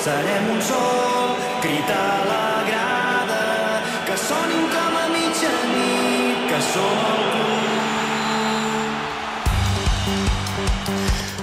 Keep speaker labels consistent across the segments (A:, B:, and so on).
A: serem un sol, crit a la grada, que sonin com a mitjanit, que som el club.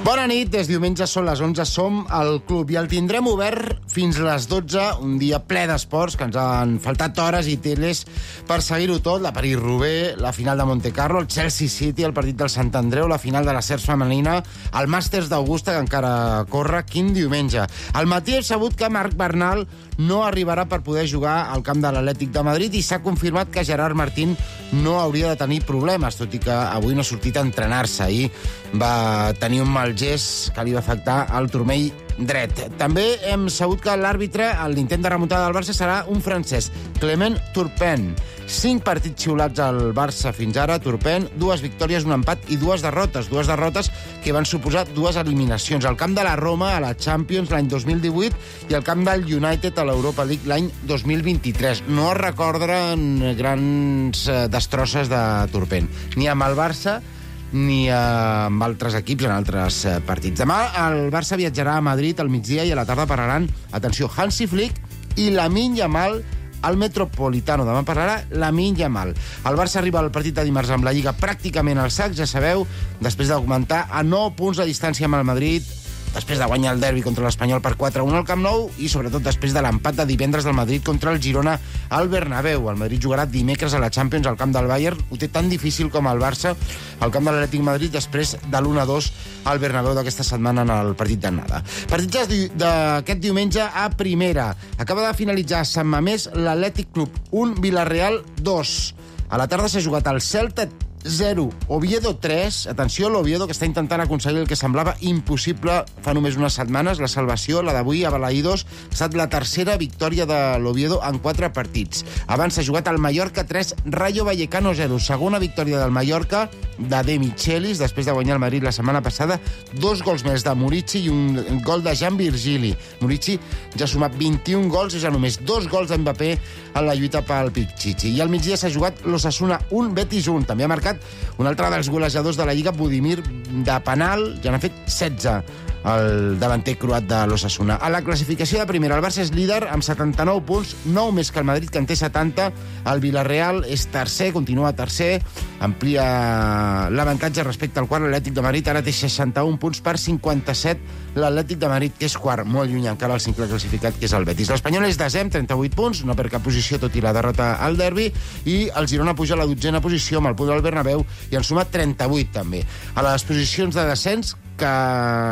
B: Bona nit, des diumenge són les 11, som al club i el tindrem obert fins les 12, un dia ple d'esports, que ens han faltat hores i teles per seguir-ho tot, la París-Roubaix, la final de Montecarlo, el Chelsea City, el partit del Sant Andreu, la final de la CERS femenina, el Màsters d'Augusta, que encara corre, quin diumenge. Al matí hem sabut que Marc Bernal no arribarà per poder jugar al camp de l'Atlètic de Madrid i s'ha confirmat que Gerard Martín no hauria de tenir problemes, tot i que avui no ha sortit a entrenar-se. Ahir va tenir un mal gest que li va afectar el turmell dret. També hem sabut que l'àrbitre, a l'intent de remuntada del Barça, serà un francès, Clement Turpin. 5 partits xiulats al Barça fins ara, Turpin, 2 victòries, un empat i 2 derrotes. 2 derrotes que van suposar 2 eliminacions. Al camp de la Roma, a la Champions, l'any 2018, i al camp del United, a l'Europa League, l'any 2023. No es recorden grans destrosses de Turpin, ni amb el Barça ni amb altres equips en altres partits. Demà el Barça viatjarà a Madrid al migdia i a la tarda pararan, atenció, Hansi Flick i Lamine Yamal al Metropolitano. Demà parlarà Lamine Yamal. El Barça arriba al partit de dimarts amb la Lliga pràcticament al sac, ja sabeu, després d'augmentar a 9 punts de distància amb el Madrid, després de guanyar el derbi contra l'Espanyol per 4-1 al Camp Nou i, sobretot, després de l'empat de divendres del Madrid contra el Girona al Bernabéu. El Madrid jugarà dimecres a la Champions al camp del Bayern. Ho té tan difícil com el Barça al camp de l'Atlètic Madrid després de l'1-2 al Bernabéu d'aquesta setmana en el partit d'anada. Partits d'aquest diumenge a primera. Acaba de finalitzar a Sant Mamés l'Atlètic Club 1, Villarreal 2. A la tarda s'ha jugat el Celta 0, Oviedo 3. Atenció, l'Oviedo, que està intentant aconseguir el que semblava impossible fa només unes setmanes, la salvació, la d'avui a Balaïdos. Ha estat la tercera victòria de l'Oviedo en 4 partits. Abans s'ha jugat el Mallorca 3, Rayo Vallecano 0. Segona victòria del Mallorca, de De Michelis, després de guanyar el Madrid la setmana passada. 2 gols més de Murici i un gol de Jan Virgili. Murici ja ha sumat 21 gols i ja només 2 gols d'Mbappé en la lluita pel Pichichi. I al migdia s'ha jugat l'Osasuna 1, Betis 1. També ha marcat un altre dels golejadors de la Lliga, Budimir, de penal, ja n'ha fet 16, el davanter croat de l'Osasuna. A la classificació de primera, el Barça és líder amb 79 punts, 9 més que el Madrid, que en té 70. El Villarreal és tercer, continua tercer, amplia l'avantatge respecte al quart. L'Atlètic de Madrid ara té 61 punts per 57 l'Atlètic de Madrid, que és quart, molt lluny encara el cinquè classificat, que és el Betis. L'Espanyol és desè amb 38 punts, no per cap posició, tot i la derrota al derbi, i el Girona puja a la 12a posició amb el punt del Bernabéu i en suma 38 també. A les posicions de descens, que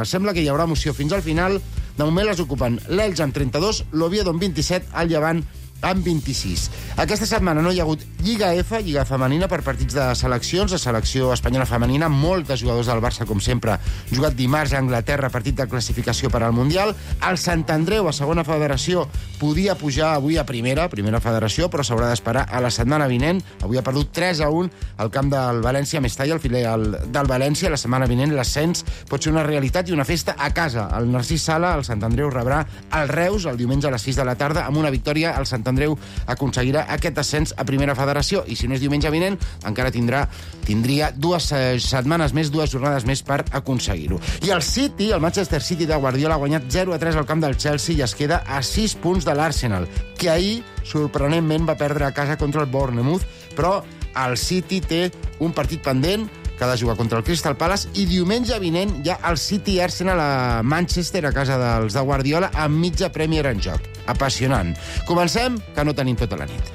B: sembla que hi haurà emoció fins al final, de moment les ocupen l'Elx amb 32, l'Oviedo amb 27, el Llevant amb 26. Aquesta setmana no hi ha hagut Lliga F, Lliga Femenina, per partits de seleccions. La selecció espanyola femenina, molts de jugadors del Barça, com sempre, jugat dimarts a Anglaterra, partit de classificació per al Mundial. El Sant Andreu, a segona federació, podia pujar avui a primera federació, però s'haurà d'esperar a la setmana vinent. Avui ha perdut 3-1 al camp del València, Mestalla, el filial del València. La setmana vinent l'ascens pot ser una realitat i una festa a casa. El Narcís Sala, el Sant Andreu, rebrà el Reus el diumenge a les 6 de la tarda. Amb una victòria, el Sant Andreu aconseguirà aquest ascens a primera federació, i si no és diumenge vinent, encara tindria 2 setmanes més, 2 jornades més per aconseguir-ho. I el City, el Manchester City de Guardiola, ha guanyat 0-3 al camp del Chelsea i es queda a 6 punts de l'Arsenal, que ahir, sorprenentment, va perdre a casa contra el Bournemouth, però el City té un partit pendent que ha de jugar contra el Crystal Palace, i diumenge vinent hi ha el City Arsenal a Manchester, a casa dels de Guardiola, amb mitja Premier en joc. Apassionant. Comencem, que no tenim tota la nit.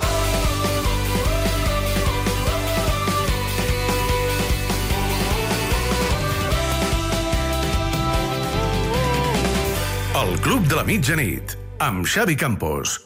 C: El Club de la Mitjanit, amb Xavi Campos.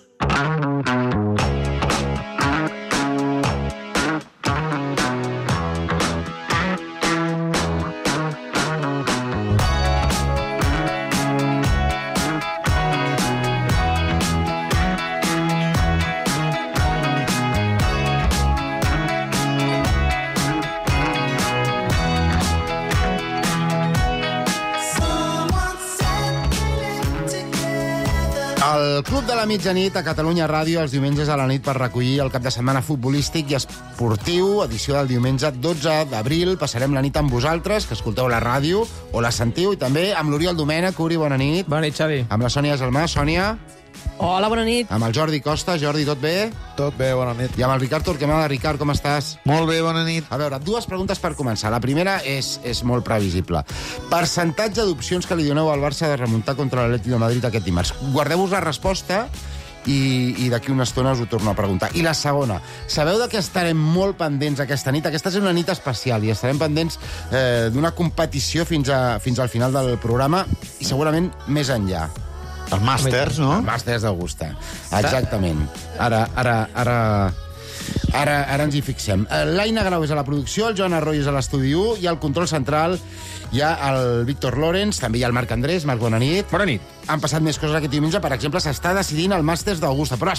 B: El El Club de la Mitjanit a Catalunya Ràdio els diumenges a la nit per recollir el cap de setmana futbolístic i esportiu, edició del diumenge 12 d'abril. Passarem la nit amb vosaltres, que escolteu la ràdio o la sentiu, i també amb l'Oriol Domènech. Uri, bona nit.
D: Bona nit, Xavi.
B: Amb la Sònia Gelmà. Sònia.
E: Hola, bona nit.
B: Amb el Jordi Costa. Jordi, tot bé?
F: Tot bé, bona nit.
B: I amb el Ricard Torquemada. Ricard, com estàs?
F: Molt bé, bona nit.
B: A veure, dues preguntes per començar. La primera és molt previsible. Percentatge d'opcions que li doneu al Barça de remuntar contra l'Atlètic de Madrid aquest dimarts. Guardeu-vos la resposta i d'aquí una estona us ho torno a preguntar. I la segona, sabeu de què estarem molt pendents aquesta nit? Aquesta és una nit especial i estarem pendents d'una competició fins al final del programa i segurament més enllà.
F: Els Màsters, no?
B: El Màsters d'Augusta. Exactament. Ara ens hi fixem. L'Aina Grau és a la producció, el Joan Arroyo és a l'estudi 1 i al control central hi ha el Víctor Lorenz, també hi ha el Marc Andrés. Marc, bona nit.
D: Bona nit.
B: Han passat més coses aquest diumenge. Per exemple, s'està decidint el Màsters d'Augusta. Però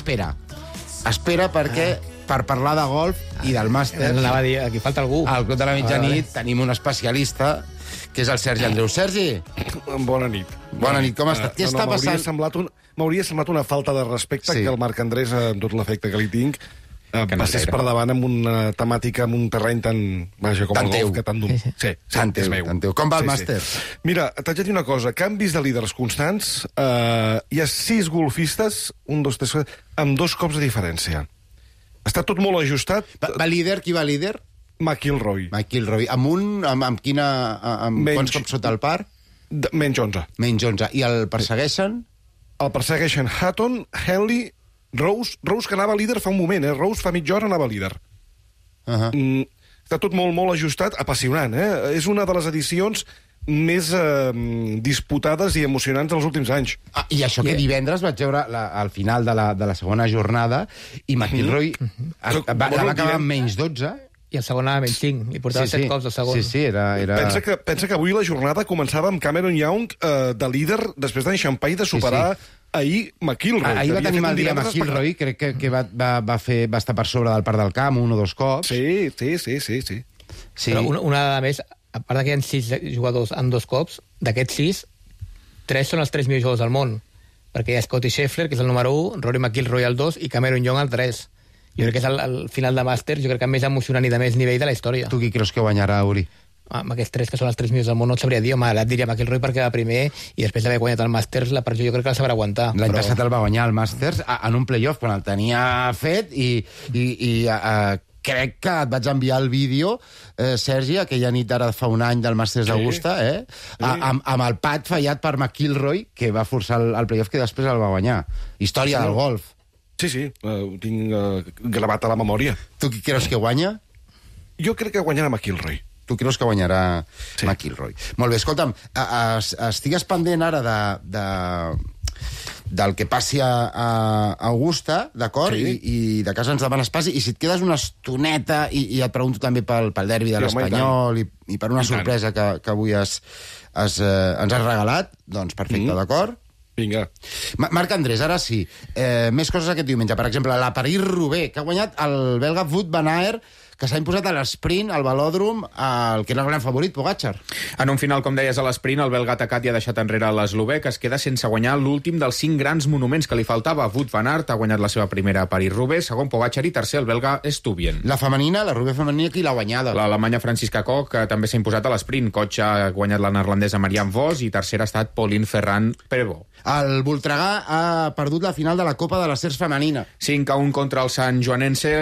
B: espera perquè per parlar de golf i del Màsters...
D: Anava a dir, aquí falta algú.
B: Al Club de la Mitjanit tenim un especialista, que és el Sergi Andreu. Sergi!
F: Bona nit.
B: Bona nit, com estàs? Què està passant?
F: M'hauria semblat una falta de respecte que el Marc Andrés, amb tot l'efecte que li tinc, passés per davant amb una temàtica, amb un terreny tan... Vaja, com el golf, que tan... Sí,
B: Tan teu. Com va el màster?
F: Mira, t'haig de dir una cosa. Canvis de líders constants. Hi ha 6 golfistes, 1, 2, 3, amb 2 cops de diferència. Està tot molt ajustat.
B: Va líder? Qui va líder?
F: McIlroy.
B: Amb quants cops sota el par?
F: Menys 11.
B: Menys 11. I el persegueixen?
F: El persegueixen Hatton, Henley, Rose, que anava líder fa un moment, Rose fa mitja hora anava líder. Està tot molt, molt ajustat, apassionant, És una de les edicions més disputades i emocionants dels últims anys.
B: I això que divendres vaig veure al final de la segona jornada i McIlroy la va acabar amb menys 12.
D: I el segon anava menys 5. I portava 7 cops el segon.
B: Sí, era...
F: Pensa que avui la jornada començava amb Cameron Young de líder després d'enxampar i de superar ahir McIlroy.
B: Ahir va tenir mal dia McIlroy, crec que va estar per sobre del par del camp 1 o 2 cops.
F: Sí.
D: Però una dada més, a part que hi ha 6 jugadors en 2 cops, d'aquests 6, 3 són els 3 millors jugadors del món. Perquè hi ha Scottie Scheffler, que és el número 1, Rory McIlroy el 2 i Cameron Young el 3. Jo crec que és el final de Màsters, jo crec que més emocionant i de més nivell de la història.
B: Tu qui creus que guanyarà, Uri?
D: Amb aquests 3 que són els 3 millors del món no et sabria dir. Home, et diria McIlroy perquè va primer i després d'haver guanyat el Màsters la pressió jo crec que la sabrà aguantar.
B: L'any passat el va guanyar el Màsters en un playoff quan el tenia fet i crec que et vaig enviar el vídeo, Sergi, aquella nit ara fa un any del Màsters d'Augusta, amb el pat fallat per McIlroy, que va forçar el playoff que després el va guanyar. Història del golf.
F: Sí, ho tinc gravat a la memòria.
B: Tu qui creus que guanya?
F: Jo crec que guanyarà McIlroy.
B: Tu creus que guanyarà McIlroy. Molt bé, escolta'm, estigues pendent ara del que passi a Augusta, d'acord?
F: Sí.
B: I de casa ens demanes pas, i si et quedes una estoneta, i et pregunto també pel derbi de l'Espanyol i per una sorpresa que avui ens has regalat, doncs perfecte, d'acord?
F: Vinga.
B: Marc Andrés, ara sí. Més coses aquest diumenge. Per exemple, la París-Roubaix, que ha guanyat el belga Wout van Aert, que s'ha imposat a l'esprint, al velòdrom, el que era el gran favorit, Pogačar.
G: En un final, com deies, a l'esprint, el belga atacat i ha deixat enrere l'eslovè, que es queda sense guanyar l'últim dels 5 grans monuments que li faltava. Wout van Aert ha guanyat la seva primera París-Roubaix, segon Pogačar i tercer el belga Stuyven.
B: La femenina, la Roubaix femenina, qui l'ha guanyada?
G: L'alemanya Franziska Koch, que també s'ha imposat a l'esprint. Koch ha guanyat la neerlandesa Marianne Vos i tercera ha estat Pauline Ferrand-Prévot.
B: El Voltregà ha perdut la final de la Copa de les Cers femenina.
G: 5-1 contra el Sant Joanense,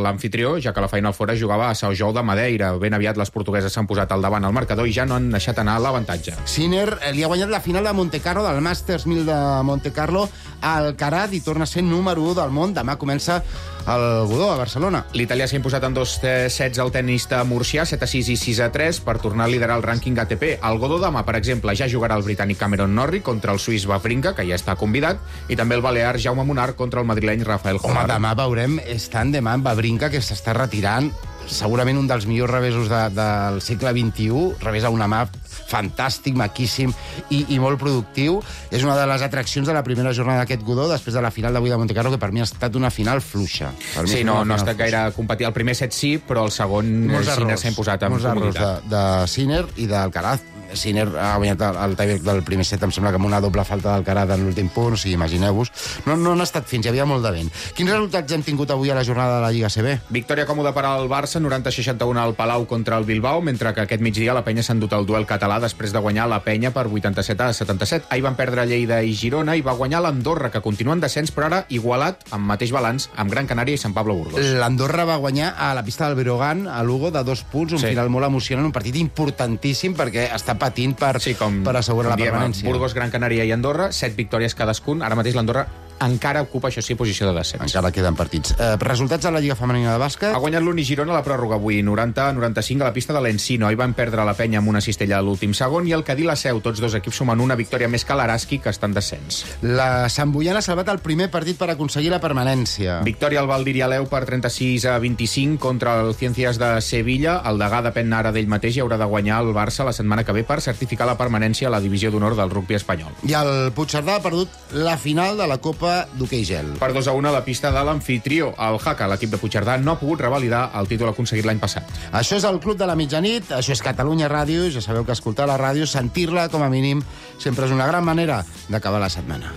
G: l'anfitrió, ja que la Final Four jugava a São João de Madeira. Ben aviat les portugueses s'han posat al davant al marcador i ja no han deixat anar l'avantatge.
B: Sinner li ha guanyat la final de Montecarlo, del Masters 1000 de Montecarlo, al Alcaraz, i torna a ser número 1 del món. Demà comença el Godó, a Barcelona.
G: L'italià s'ha imposat en 2 sets al tenista murcià, 7-6 i 6-3, per tornar a liderar el rànquing ATP. El Godó demà, per exemple, ja jugarà el britànic Cameron Norrie contra el suís Wawrinka, que ja està convidat, i també el balear Jaume Munar contra el madrileny Rafael Jovar.
B: Home, demà veurem, tant demà en Wawrinka, que s'està retirant, segurament un dels millors revesos del segle XXI, revés a una mà fantàstic, maquíssim i molt productiu. És una de les atraccions de la primera jornada d'aquest Godó, després de la final d'avui de Montecarlo, que per mi ha estat una final fluixa.
G: Sí, no ha estat gaire compatible. El primer set sí, però el segon Sinner s'ha imposat amb
B: comoditat. Molts errors de Sinner i d'Alcaraz. Sinner ha guanyat el tiebreak del primer set, em sembla que amb una doble falta d'Alcaraz en l'últim punt, o sigui, imagineu-vos. No han estat fins, hi havia molt de vent. Quins resultats hem tingut avui a la jornada de la Lliga CB?
G: Victòria còmoda per al Barça, 90-61 al Palau contra el Bilbao, mentre que aquest migdia la Penya s'ha endut el duel català després de guanyar la Penya per 87-77. Ahir van perdre Lleida i Girona i va guanyar l'Andorra, que continua en descens, però ara igualat, amb mateix balanç, amb Gran Canària i Sant Pablo Burgos.
B: L'Andorra va guanyar a la pista del Breogán, a Lugo, de 2 punts, un final molt emocionant, un partit importantíssim perquè està patint per assegurar la permanència.
G: Burgos, Gran Canària i Andorra, 7 victòries cadascun. Ara mateix l'Andorra encara ocupa, això sí, posició de descens.
B: Encara queden partits. Resultats de la Lliga Femenina de Bàsquet?
G: Ha guanyat l'Uni Girona a la pròrroga avui, 90-95 a la pista de l'Encino. Ahir van perdre la Penya amb una cistella a l'últim segon i el Cadí la Seu. Tots dos equips sumen una victòria més que l'Araski, que està en descens.
B: La Sant Boiana ha salvat el primer partit per aconseguir la permanència.
G: Victòria al Valdir i Aleu per 36-25 contra el Ciències de Sevilla. El degà depèn ara d'ell mateix i haurà de guanyar el Barça la setmana que ve per certificar la permanència a la divisió d'honor del rugbi espanyol.
B: I el Puigcerdà ha perdut la final de la Copa d'Hoquei Gel.
G: Per 2-1 a la pista de l'amfitrió. El Jaca, l'equip de Puigcerdà, no ha pogut revalidar el títol aconseguit l'any passat.
B: Això és el Club de la Mitjanit, això és Catalunya Ràdio. Ja sabeu que escoltar la ràdio, sentir-la com a mínim, sempre és una gran manera d'acabar la setmana.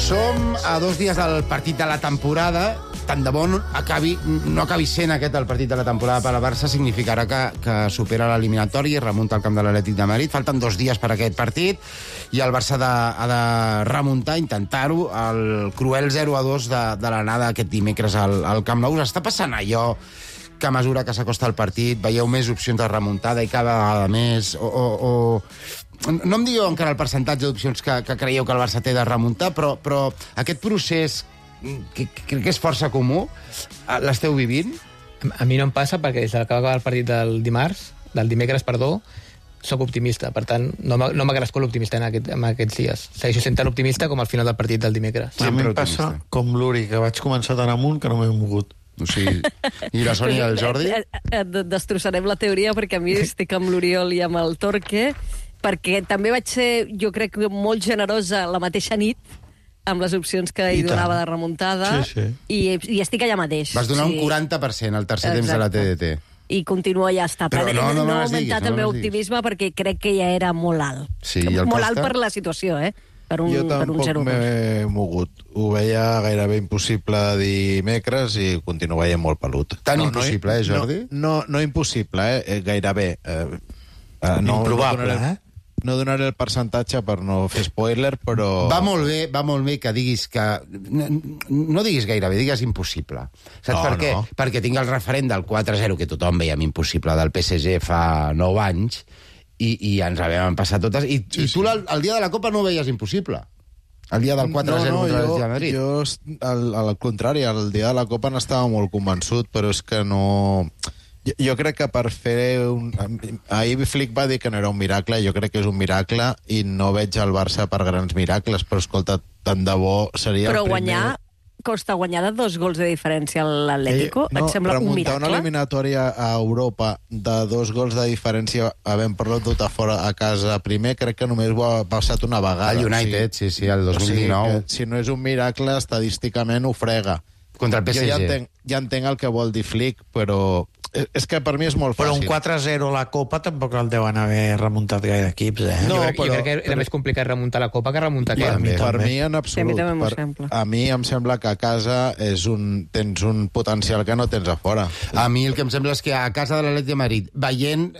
B: Som a 2 dies del partit de la temporada. Tant de bo no acabi sent aquest el partit de la temporada per al Barça, significarà que supera l'eliminatòria i remunta al camp de l'Atlètic de Madrid. Falten 2 dies per a aquest partit i el Barça ha de remuntar, intentar-ho, el cruel 0-2 de l'anada aquest dimecres al Camp Nou. Us està passant allò que a mesura que s'acosta el partit veieu més opcions de remuntada i cada vegada més, no em digueu encara el percentatge d'opcions que creieu que el Barça té de remuntar, però aquest procés, que crec que és força comú, l'esteu vivint?
D: A mi no em passa perquè des que va acabar el partit del dimecres, soc optimista. Per tant, no m'ha crescut l'optimista en aquests dies. Segueixo sent tan optimista com al final del partit del dimecres.
E: A mi em passa com l'Uri, que vaig començar tan amunt que no m'he mogut.
B: O sigui, i la Sònia i el Jordi?
H: Destrossarem la teoria perquè a mi estic amb l'Oriol i amb el Torque, perquè també vaig ser, jo crec, molt generosa la mateixa nit amb les opcions que hi donava de remuntada, i estic allà mateix.
B: Vas donar un 40% al tercer temps de la TDT.
H: I continua ja està.
B: Però no
H: he augmentat el meu optimisme perquè crec que ja era molt alt.
B: Sí,
H: molt alt per la situació, per un 0-2.
E: Jo tampoc m'he mogut. Ho veia gairebé impossible dimecres i continuo veient molt pelut.
B: Tan impossible, Jordi?
E: No impossible, gairebé.
I: Improbable,
E: No donaré el percentatge per no fer spoiler, però...
B: Va molt bé que diguis que... No diguis gairebé, digues impossible. Saps per què? Perquè tinc el referent del 4-0, que tothom veiem impossible, del PSG fa 9 anys, i ens vam passar totes. I tu el dia de la Copa no ho veies impossible. El dia del 4-0 contra el Real Madrid.
E: Jo, al contrari, el dia de la Copa n'estava molt convençut, però és que no... Jo crec que per fer ahir Flick va dir que no era un miracle, jo crec que és un miracle i no veig el Barça per grans miracles, però escolta, tant de bo seria
H: però
E: el primer...
H: Costa guanyar de 2 gols de diferència a l'Atlético? Et sembla un miracle?
E: Remuntar una eliminatòria a Europa de 2 gols de diferència havent perdut a fora a casa primer, crec que només ho ha passat una vegada.
B: El United, sí, el 2019.
E: Si no és un miracle, estadísticament ho frega.
B: Contra el PSG.
E: Jo ja entenc el que vol dir Flick, però... És que per mi és molt fàcil.
I: Però un 4-0 a la Copa tampoc el deuen haver remuntat gaire equips,
D: No, jo crec que era més complicat remuntar la Copa que remuntar aquest.
E: Per mi, en absolut. A mi em sembla que a casa tens un potencial que no tens a fora.
B: A mi el que em sembla és que a casa de l'Atlètic de Madrid, veient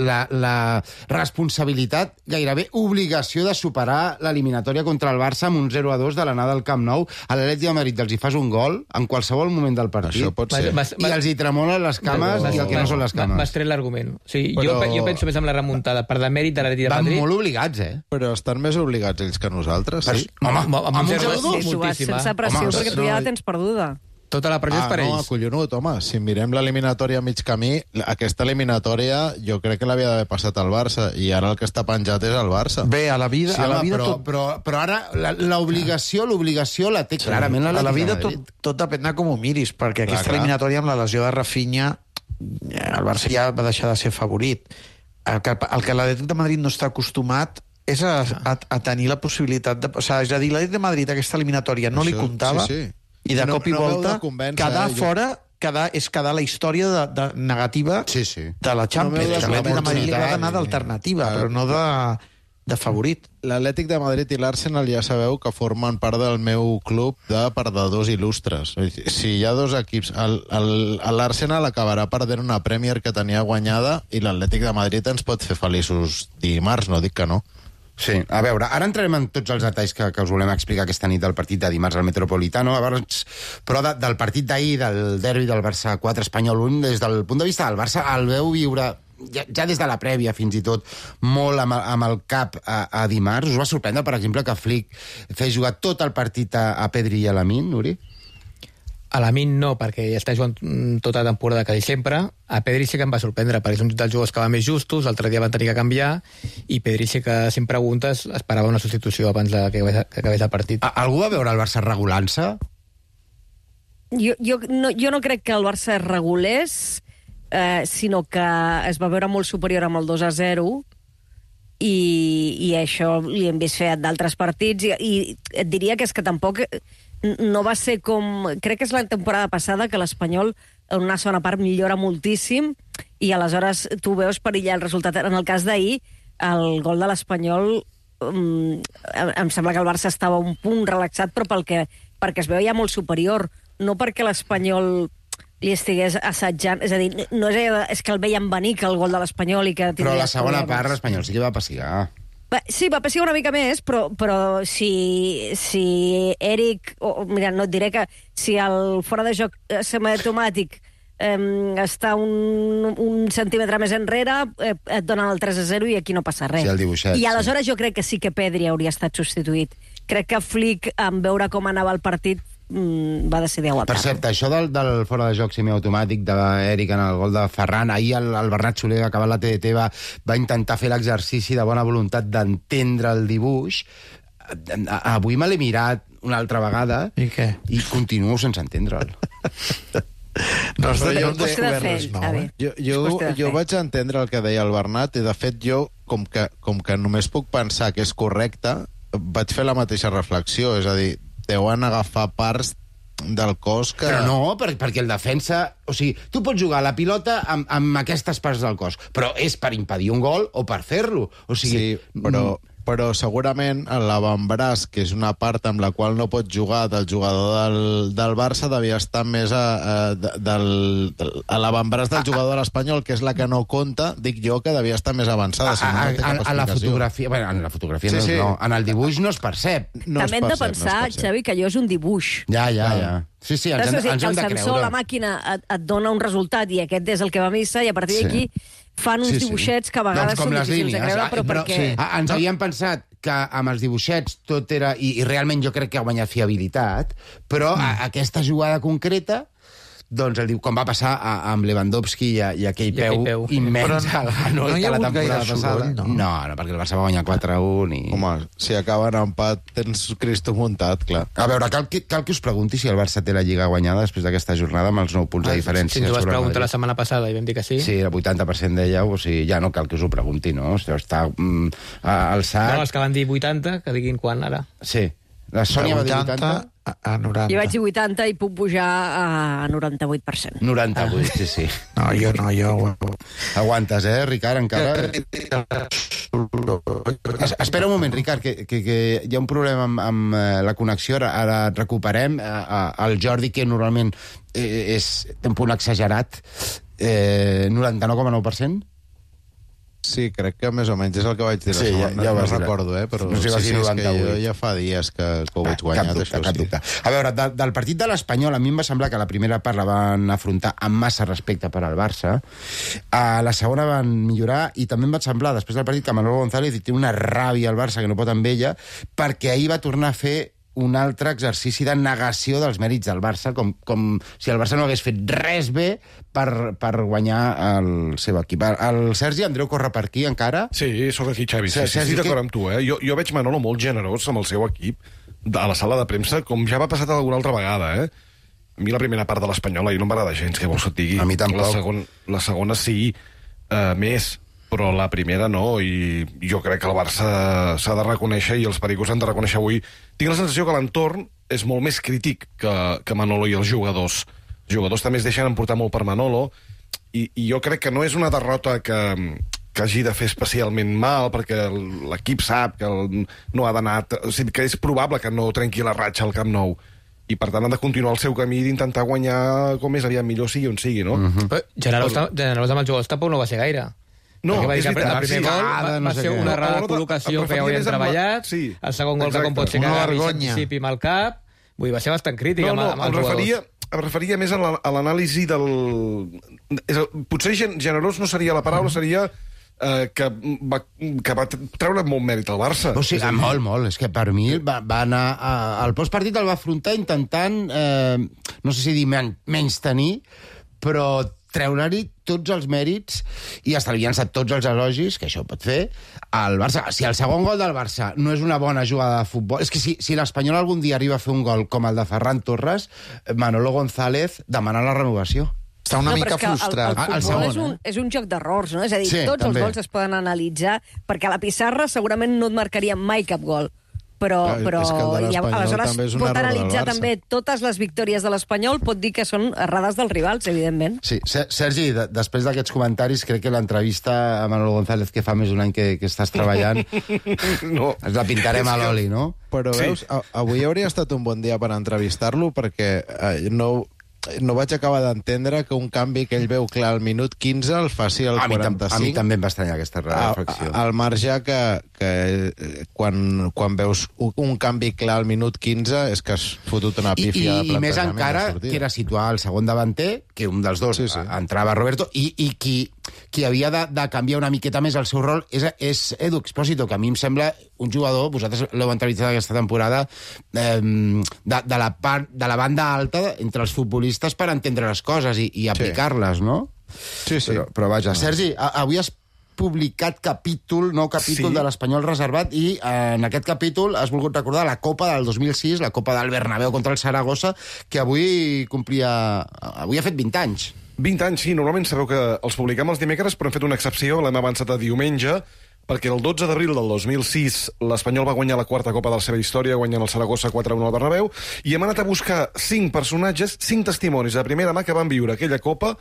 B: la responsabilitat, gairebé obligació de superar l'eliminatòria contra el Barça amb un 0-2 de l'anada al Camp Nou, a l'Atlètic de Madrid els hi fas un gol en qualsevol moment del partit.
E: Això pot ser.
B: I els hi tremolen les cames i el que no són les cames.
D: M'has tret l'argument. O sigui, jo penso més en la remuntada per demèrit de l'Atlètic de Madrid.
B: Van molt obligats,
E: Però estan més obligats ells que nosaltres, sí?
B: Home, amb un 0-2?
H: Sí, s'ho vas sense pressió, perquè tu ja la tens perduda.
D: Tota la pressió és per
E: no,
D: ells.
E: acollonut, home. Si mirem l'eliminatòria a mig camí, aquesta eliminatòria jo crec que l'havia d'haver passat al Barça, i ara el que està penjat és el Barça.
I: Bé, a la vida,
B: Sí,
I: a la
B: home,
I: vida
B: però ara l'obligació la té clarament
I: a la
B: l'Atlètic
I: vida
B: de Madrid.
I: tot depèn de com ho miris, perquè aquesta
E: clar.
I: eliminatòria amb la lesió de Rafinha, el Barça ja va deixar de ser favorit. El que l'Atlètic de Madrid no està acostumat és a tenir la possibilitat de... O sigui, és a dir, l'Atlètic de Madrid aquesta eliminatòria no li
E: Això,
I: comptava,
E: sí.
I: i de
E: No-
I: cop i
E: no m'heu
I: volta
E: de convèncer,
I: quedar
E: jo-
I: fora és quedar la història de negativa
B: Sí, sí.
I: de la Champions.
E: No m'heu de
I: Que l'Atlètic de Madrid li ha
B: oportunitat,
I: d'anar d'alternativa, però no de favorit.
E: L'Atlètic de Madrid i l'Arsenal ja sabeu que formen part del meu club de perdedors il·lustres. Si hi ha dos equips, l'Arsenal acabarà perdent una Premier que tenia guanyada, i l'Atlètic de Madrid ens pot fer feliços dimarts, no dic que no.
B: Sí, a veure, ara entrarem en tots els detalls que us volem explicar aquesta nit del partit de dimarts al Metropolitano, però del partit d'ahir, del derbi del Barça 4 Espanyol 1, des del punt de vista del Barça, el veu viure ja des de la prèvia, fins i tot, molt amb el cap a dimarts. Us va sorprendre, per exemple, que Flick fes jugar tot el partit a Pedri i a Lamine, Nuri?
D: A Lamine no, perquè ja està jugant tota la temporada quasi sempre. A Pedri sí que em va sorprendre, perquè és un dels jugadors que va més justos, l'altre dia van tenir que canviar, i Pedri sí que, si em preguntes, esperava una substitució abans que acabés el partit.
B: Algú va veure el Barça regulant-se?
H: Jo no crec que el Barça es regulés, sinó que es va veure molt superior amb el 2-0, i això li hem vist fer d'altres partits, i et diria que és que tampoc no va ser com... Crec que és la temporada passada que l'Espanyol en una segona part millora moltíssim, i aleshores tu veus perillar el resultat. En el cas d'ahir, el gol de l'Espanyol, em sembla que el Barça estava un punt relaxat, però perquè es veia molt superior, no perquè l'Espanyol li estigués assetjant, és a dir, no és que el veiem venir, que el gol de l'Espanyol, i que
B: Però
H: tindria
B: la segona
H: problemes.
B: part l'Espanyol sí que va pessigar.
H: Sí, va pessigar una mica més, però si Eric... Mira, no et diré que si el fora de joc semiautomàtic està un centímetre més enrere, et donen el 3-0 i aquí no passa res.
B: Sí, el dibuixet,
H: I aleshores jo crec que sí que Pedri hauria estat substituït. Crec que Flick, en veure com anava el partit, va decidir aguantar.
B: Per cert, això del fora de joc semiautomàtic d'Eric en el gol de Ferran, ahir el Bernat Soler, que ha acabat la TDT, va intentar fer l'exercici de bona voluntat d'entendre el dibuix. Avui me l'he mirat una altra vegada
I: I què?
B: i continuo sense entendre'l.
I: No has de
H: Però
I: dir
H: és
I: un
H: qüestió de
I: descobert
H: fer,
I: res nou,
H: Xavi.
E: Jo
H: qüestió de fer.
E: vaig entendre el que deia el Bernat, i de fet jo, com que només puc pensar que és correcte, vaig fer la mateixa reflexió, és a dir, deuen agafar parts del cos que...
B: Però no, perquè el defensa... O sigui, tu pots jugar a la pilota amb aquestes parts del cos, però és per impedir un gol o per fer-lo. O sigui,
E: Sí, però segurament l'avantbraç, que és una part amb la qual no pot jugar del jugador del Barça, devia estar més a l'avantbraç del jugador de l'Espanyol, que és la que no compta, dic jo que devia estar més avançada. Si no, no té cap
B: a la
E: explicació.
B: fotografia... Bueno, en la fotografia
E: Sí,
B: no,
E: sí.
B: no, en el dibuix no es percep.
E: No es
H: També hem de
E: percep, no es
H: pensar,
E: percep.
H: Xavi, que allò és un dibuix.
B: Ja. Sí, sí, ens
H: Saps? O sigui,
B: hem
H: el
B: de
H: sensor,
B: creure.
H: la màquina, et dona un resultat i aquest és el que va a missa, i a partir d'aquí fan uns dibuixets que a vegades
B: Doncs com
H: són
B: les
H: difícils de
B: línies.
H: creure, però perquè...
B: Ens havíem pensat que amb els dibuixets tot era... I realment jo crec que ha guanyat fiabilitat, però aquesta jugada concreta, doncs com va passar amb Lewandowski i aquell peu immens
I: Però
B: al Hanoi,
I: no hi
B: que
I: ha
B: la
I: hagut
B: temporada
I: gaire
B: passada.
I: soroll, no?
B: No, perquè el Barça va guanyar 4-1 i...
E: Home, si acaben empat, tens Cristo muntat, clar.
B: A veure, cal que us pregunti si el Barça té la Lliga guanyada després d'aquesta jornada amb els 9 punts de diferència.
D: Si ens ho vas
B: sobre el
D: preguntar la
B: Madrid.
D: setmana passada i vam dir que sí.
B: Sí, el 80% dèieu, o sigui, ja no cal que us ho pregunti, no? O sigui, està alçat...
D: No, els que van dir 80, que diguin quan, ara.
B: Sí. La Sònia va dir 80...
I: a 90.
H: Jo vaig dir 80 i puc pujar a 98%.
B: 98, sí, sí.
I: No, jo...
B: Aguantes, Ricard, encara? Espera un moment, Ricard, que hi ha un problema amb la connexió. Ara et recuperem. El Jordi, que normalment té un punt exagerat, 99,9%?
E: Sí, crec que més o menys és el que vaig dir la
B: Sí,
E: segona.
B: ja ho
E: no
B: vas dir.
E: recordo, però
B: No sé si vas dir
E: és que
B: 98.
E: jo ja fa dies que ho veig guanyat, això
B: Cap
E: sí.
B: dubte. A veure, del partit de l'Espanyol, a mi em va semblar que la primera part la van afrontar amb massa respecte per al Barça. A la segona van millorar i també em va semblar, després del partit, que Manolo González té una ràbia al Barça que no pot amb ella, perquè ahir va tornar a fer un altre exercici de negació dels mèrits del Barça, com si el Barça no hagués fet res bé per guanyar el seu equip. El Sergi Andreu corre per aquí, encara?
F: Sí, sóc aquí, Xavi. Sí, estic d'acord amb tu, eh? Jo veig Manolo molt generós amb el seu equip a la sala de premsa, com ja va passar alguna altra vegada, eh? A mi la primera part de l'Espanyola no m'agrada gens, que vols que et digui.
B: A mi tampoc.
F: La segona sí, més, però la primera no, i jo crec que el Barça s'ha de reconèixer, i els pericos han de reconèixer avui. Tinc la sensació que l'entorn és molt més crític que Manolo i els jugadors. Els jugadors també es deixen emportar molt per Manolo, i jo crec que no és una derrota que hagi de fer especialment mal, perquè l'equip sap que no ha d'anar... O sigui, que és probable que no trenqui la ratxa al Camp Nou, i per tant han de continuar el seu camí d'intentar guanyar com més aviat millor sigui on sigui, no?
D: Generós amb els jugadors tampoc no va ser gaire.
F: No,
D: és
F: veritat.
D: El primer gol va ser una errada de col·locació que ja ho havien treballat, el segon gol que com pot ser que agafi s'anticipi amb el cap, vull dir, va ser bastant crític amb els jugadors.
F: Em referia més a l'anàlisi del... Potser generós no seria la paraula, seria que va treure molt mèrit al Barça.
B: O sigui, molt. És que per mi va anar... El postpartit el va afrontar intentant, no sé si dir menys tenir, però treure-hi tots els mèrits i estalviant-se tots els elogis, que això pot fer, al Barça. Si el segon gol del Barça no és una bona jugada de futbol... És que si l'Espanyol algun dia arriba a fer un gol com el de Ferran Torres, Manolo González demana la renovació.
I: Està una mica frustrat.
H: El futbol és un joc d'errors, no? És a dir, tots els gols es poden analitzar, perquè a la pissarra segurament no et marcaria mai cap gol. Però aleshores pot analitzar també totes les victòries de l'Espanyol, pot dir que són errades dels rivals, evidentment.
B: Sí, Sergi, després d'aquests comentaris, crec que l'entrevista a Manolo González, que fa més d'un any que estàs treballant, ens la pintarem a l'oli, no?
E: Però veus, avui hauria estat un bon dia per entrevistar-lo, perquè no vaig acabar d'entendre que un canvi que ell veu clar al minut 15 el faci al 45.
B: A mi també em va estranyar aquesta reflexió.
E: Al marge que quan veus un canvi clar al minut 15 és que has fotut una pífia de plantejament.
B: I més encara que era situar el segon davanter, que un dels dos entrava Roberto, i qui havia de canviar una miqueta més el seu rol és Edu Expósito, que a mi em sembla un jugador, vosaltres l'heu entrevistat aquesta temporada, de la banda alta entre els futbolistes per entendre les coses i aplicar-les, no?
E: Sí.
B: Però vaja, Sergi, avui has publicat nou capítol de l'Espanyol reservat, i en aquest capítol has volgut recordar la Copa del 2006, la Copa del Bernabéu contra el Saragossa, que avui ha fet 20 anys.
F: 20 anys, sí. Normalment sabeu que els publiquem els dimecres, però hem fet una excepció, l'hem avançat a diumenge, perquè el 12 d'abril del 2006 l'Espanyol va guanyar la quarta Copa de la seva història, guanyant el Saragossa 4-1 al Bernabéu, i hem anat a buscar 5 personatges, 5 testimonis de primera mà que van viure aquella Copa,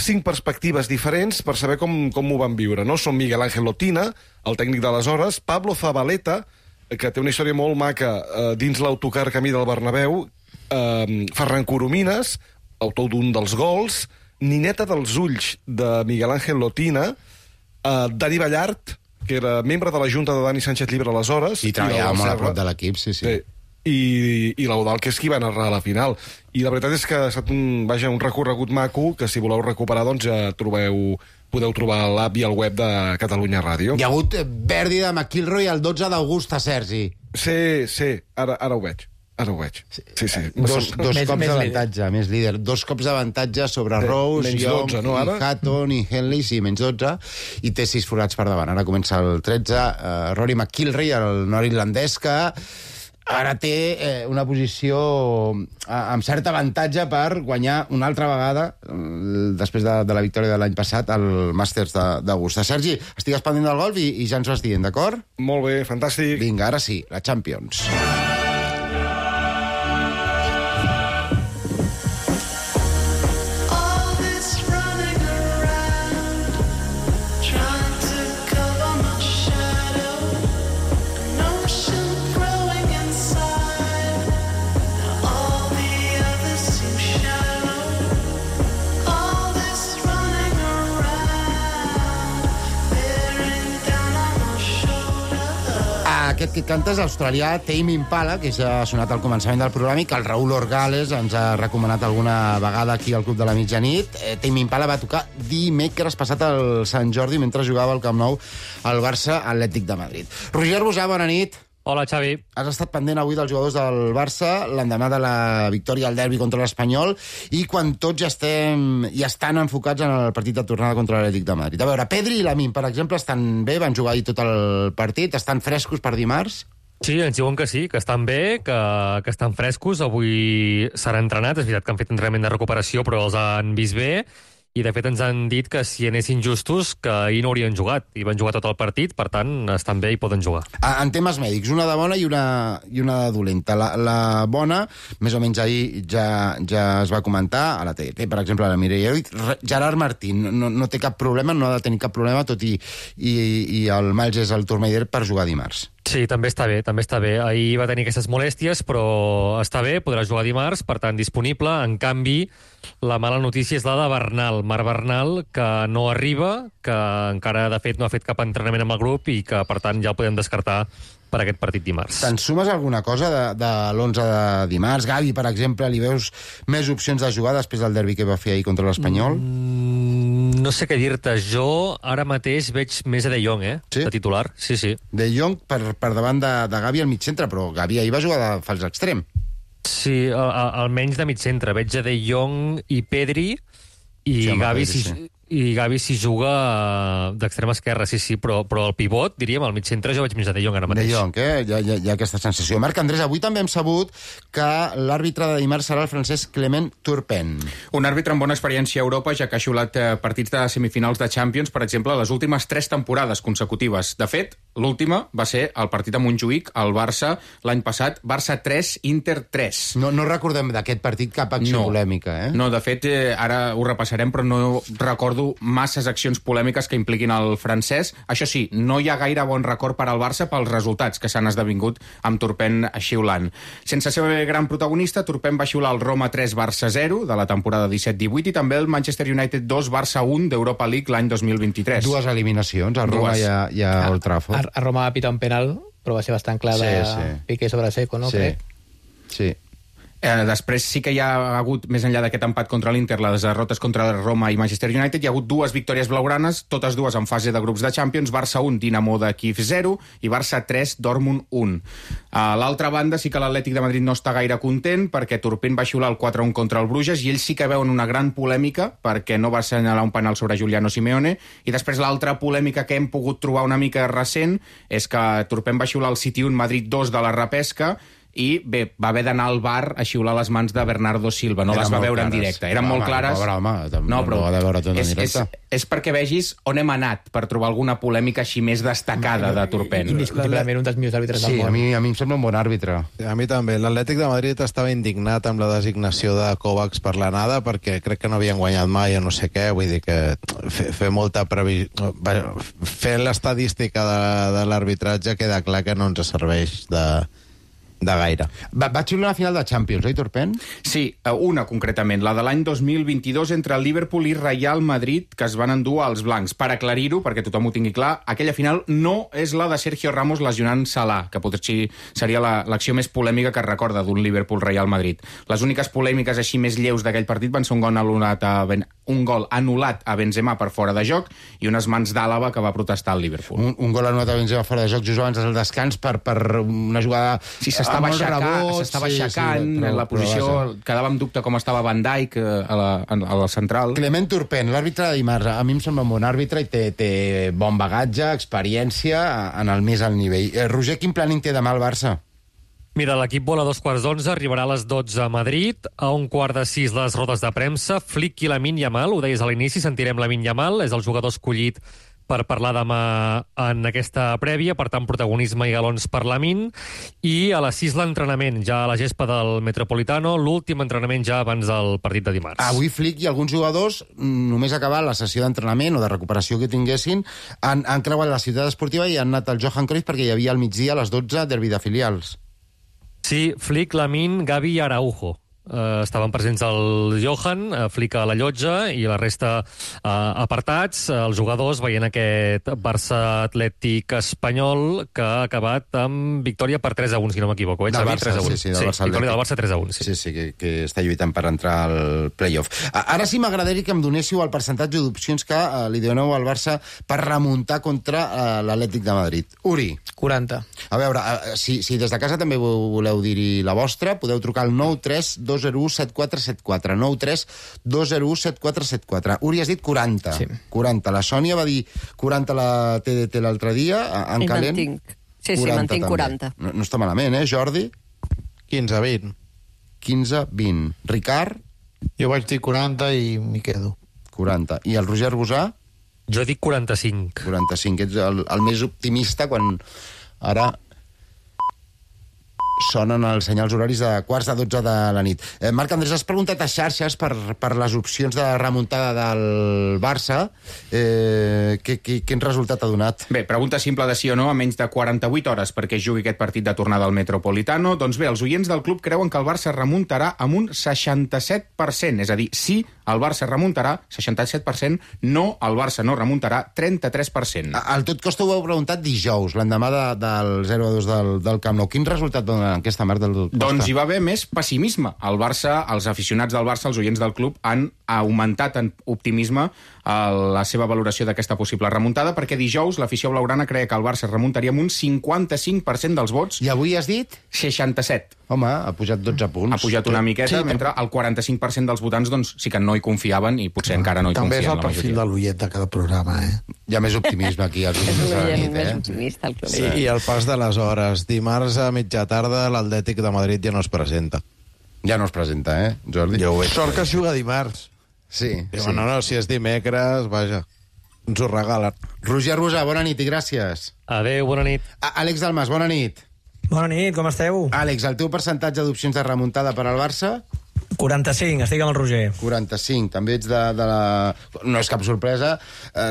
F: 5 perspectives diferents per saber com ho van viure, no? Són Miguel Ángel Lotina, el tècnic d'aleshores, Pablo Zabaleta, que té una història molt maca dins l'autocar camí del Bernabéu, Ferran Coromines, autor d'un dels gols, Nineta dels ulls de Miguel Ángel Lotina, Dani Ballart, que era membre de la Junta de Dani Sánchez Llibre aleshores.
B: I treballava molt a prop de l'equip, sí.
F: I l'Eudal, que és qui va narrar a la final. I la veritat és que ha estat un recorregut maco, que si voleu recuperar, doncs ja podeu trobar l'app i el web de Catalunya Ràdio.
B: Hi ha hagut Verdi de McIlroy el 12 d'agost a Sergi.
F: Sí, ara ho veig. Sí.
B: Dos cops d'avantatge, més líder. 2 cops d'avantatge sobre Rose, Young, i Hatton i Henley, sí, menys 12, i té 6 forats per davant. Ara comença el 13. Rory McIlroy, el nord-irlandès, que ara té una posició amb cert avantatge per guanyar una altra vegada, després de la victòria de l'any passat, al Masters d'Augusta. Sergi, estigues pendent del golf i ja ens vas dient, d'acord?
F: Molt bé, fantàstic.
B: Vinga, ara sí, la Champions. Aquest que canta és l'australià Tame Impala, que ja ha sonat al començament del programa i que el Raúl Orgales ens ha recomanat alguna vegada aquí al Club de la Mitjanit. Tame Impala va tocar dimecres passat al Sant Jordi mentre jugava al Camp Nou al Barça Atlètic de Madrid. Roger Bosà, bona nit.
J: Hola, Xavi.
B: Has estat pendent avui dels jugadors del Barça l'endemà de la victòria al derbi contra l'Espanyol i quan tots ja estan enfocats en el partit de tornada contra l'Atlètic de Madrid. A veure, Pedri i Lamine, per exemple, estan bé, van jugar ahir tot el partit, estan frescos per dimarts?
J: Sí, ens diuen que sí, que estan bé, que estan frescos. Avui s'han entrenat, és veritat que han fet entrenament de recuperació, però els han vist bé. I, de fet, ens han dit que si anessin justos, que ahir no haurien jugat. I van jugar tot el partit, per tant, estan bé i poden jugar.
B: En temes mèdics, una de bona i una de dolenta. La bona, més o menys ahir ja es va comentar, a la TDT, per exemple, a la Mireia Gerard Martín no té cap problema, no ha de tenir cap problema, tot i el Miles és el Tourmaider per jugar dimarts.
J: Sí, també està bé, també està bé. Ahir va tenir aquestes molèsties, però està bé, podrà jugar dimarts, per tant, disponible. En canvi, la mala notícia és la de Bernal, Marc Bernal, que no arriba, que encara, de fet, no ha fet cap entrenament amb el grup i que, per tant, ja el podem descartar per aquest partit dimarts.
B: Te'n sumes alguna cosa de l'11 de dimarts? Gavi, per exemple, li veus més opcions de jugar després del derbi que va fer ahir contra l'Espanyol?
J: No sé què dir-te. Jo ara mateix veig més a De Jong,
B: Sí?
J: de titular. Sí, sí.
B: De Jong per davant de Gavi al mig centre, però Gavi ahir va jugar de fals extrem.
J: Sí, almenys de mig centre. Veig a De Jong i Pedri i
B: Sí, home,
J: Gavi
B: Pedri,
J: si,
B: sí.
J: i Gavi si juga d'extrema esquerra, sí, però el pivot, diríem, al mig centre jo veig més a De Jong ara mateix.
B: De Jong, hi ha aquesta sensació. Marc Andrés, avui també hem sabut que l'àrbitre de dimarts serà el francès Clement Turpin.
G: Un àrbitre amb bona experiència a Europa, ja que ha xiulat partits de semifinals de Champions, per exemple, les últimes 3 temporades consecutives. De fet, l'última va ser el partit a Montjuïc, al Barça, l'any passat, Barça 3, Inter 3.
B: No recordem d'aquest partit cap acció polèmica, eh?
G: No, de fet, ara ho repassarem, però no recordo masses accions polèmiques que impliquin el francès. Això sí, no hi ha gaire bon record per al Barça pels resultats que s'han esdevingut amb Turpin xiulant. Sense ser gran protagonista, Turpin va xiular el Roma 3, Barça 0 de la temporada 17-18 i també el Manchester United 2, Barça 1 d'Europa League l'any 2023.
B: Dues eliminacions, a Roma i a Old Trafford.
D: A Roma va pitar un penal, però va ser bastant clar de Piqué sobre Seco, no?
B: Sí,
D: Crec.
B: sí.
G: Després sí que hi ha hagut, més enllà d'aquest empat contra l'Inter, les derrotes contra Roma i Manchester United, hi ha hagut 2 victòries blaugranes, totes dues en fase de grups de Champions, Barça 1, Dinamo de Kiev 0 i Barça 3, Dortmund 1. A l'altra banda sí que l'Atlètic de Madrid no està gaire content perquè Turpin va xiular el 4-1 contra el Bruges i ells sí que veuen una gran polèmica perquè no va assenyalar un penal sobre Giuliano Simeone i després l'altra polèmica que hem pogut trobar una mica recent és que Turpin va xiular el City 1, Madrid 2 de la repesca i bé, va haver d'anar al bar a xiular les mans de Bernardo Silva, no les va veure en directe. Eren molt clares.
B: Pobre home, no, però ha de veure tot en directe.
G: És perquè vegis on hem anat per trobar alguna polèmica així més destacada de Turpin.
D: Indiscutiblement un dels millors àrbitres del
B: Sí,
D: món.
B: a mi em sembla un bon àrbitre.
E: A mi també. L'Atlètic de Madrid estava indignat amb la designació de Kovacs per l'anada perquè crec que no havien guanyat mai o no sé què, vull dir que fer molta previsió... Fent l'estadística de l'arbitratge queda clar que no ens serveix de gaire.
B: Va xiular una final de Champions, Turpin?
G: Sí, una concretament, la de l'any 2022 entre el Liverpool i Real Madrid, que es van endur als blancs. Per aclarir-ho, perquè tothom ho tingui clar, aquella final no és la de Sergio Ramos lesionant Salah, que potser seria l'acció més polèmica que es recorda d'un Liverpool-Real Madrid. Les úniques polèmiques així més lleus d'aquell partit van ser un gol anul·lat a Benzema per fora de joc i unes mans d'Àlava que va protestar al Liverpool.
B: Un gol anul·lat a Benzema fora de joc just abans del descans per una jugada...
G: Sí, s'estava aixecant, la posició, quedava en dubte com estava Van Dijk a la central.
B: Clement Turpin, l'àrbitre de dimarts, a mi em sembla un bon àrbitre i té bon bagatge, experiència en el més alt nivell. Roger, quin planning té demà el Barça?
J: Mira, l'equip vola a 2:15, arribarà a les 12 a Madrid, a 5:45 les rodes de premsa, Flick i Lamine Yamal, ho deies a l'inici, sentirem Lamine Yamal, és el jugador escollit per parlar demà en aquesta prèvia, per tant, protagonisme i galons per Lamine, i a les 6 l'entrenament, ja a la gespa del Metropolitano, l'últim entrenament ja abans del partit de dimarts.
B: Avui Flick i alguns jugadors, només acabar la sessió d'entrenament o de recuperació que tinguessin, han creuat la ciutat esportiva i han anat al Johan Cruyff perquè hi havia al migdia a les 12 derbi de filials.
J: Sí, Flick, Lamine, Gavi i Araujo. estaven presents el Johan, Flick a la llotja i la resta apartats. Els jugadors veient aquest Barça Atlètic espanyol que ha acabat amb victòria per 3-1, si no m'equivoco.
B: Del Barça, sí, del Barça
J: victòria del Barça 3-1.
B: Sí, que està lluitant per entrar al play-off. Ara sí m'agradaria que em donéssiu el percentatge d'opcions que li doneu al Barça per remuntar contra l'Atlètic de Madrid. Uri.
D: 40.
B: A veure, si des de casa també voleu dir-hi la vostra, podeu trucar al 932017474. 932017474. Uri, has dit 40.
D: Sí.
B: 40. La Sònia va dir 40 la TDT l'altre dia, en calent.
H: Sí, mantinc 40.
B: No està malament, Jordi?
E: 15-20.
B: 15-20. Ricard?
I: Jo vaig dir 40 i m'hi quedo.
B: 40. I el Roger Arbusà?
J: Jo dic 45.
B: 45. Ets el més optimista quan ara sonen els senyals horaris de 11:45 de la nit. Marc Andrés, has preguntat a xarxes per les opcions de remuntada del Barça. Quin resultat ha donat?
G: Bé, pregunta simple de sí o no a menys de 48 hores perquè es jugui aquest partit de tornada al Metropolitano. Doncs bé, els oients del club creuen que el Barça remuntarà amb un 67%, és a dir, sí, el Barça remuntarà, 67%, no, el Barça no remuntarà, 33%.
B: Al tot costa ho heu preguntat dijous, l'endemà del 0-2 del Camp Nou. Quin resultat dona aquesta Marc del Costa?
G: Doncs hi va haver més pessimisme. El Barça, els aficionats del Barça, els oients del club, han augmentat en optimisme la seva valoració d'aquesta possible remuntada, perquè dijous l'afició blaugrana creia que el Barça remuntaria amb un 55% dels vots.
B: I avui has dit?
G: 67.
B: Home, ha pujat 12 punts.
G: Ha pujat una miqueta, sí, mentre el 45% dels votants doncs, sí que no hi confiaven i potser encara no hi
I: també
G: confien.
I: També és el perfil de l'oient de cada programa,
B: Hi ha més optimisme aquí als oients de la nit,
H: més optimista, el club.
E: I el pas de les hores. Dimarts a mitja tarda l'Atlètic de Madrid ja no es presenta.
B: Ja no es presenta, Jordi?
E: Jo ho veig.
I: Sort que es juga dimarts.
B: Sí.
E: Sí. No, si és dimecres, vaja, ens ho regalen.
B: Roger Arbusà, bona nit i gràcies.
J: Adéu, bona nit.
B: Àlex Dalmas, bona nit.
K: Bona nit, com esteu?
B: Àlex, el teu percentatge d'opcions de remuntada per al Barça?
K: 45, estic amb el Roger.
B: 45, també ets de la... No és cap sorpresa,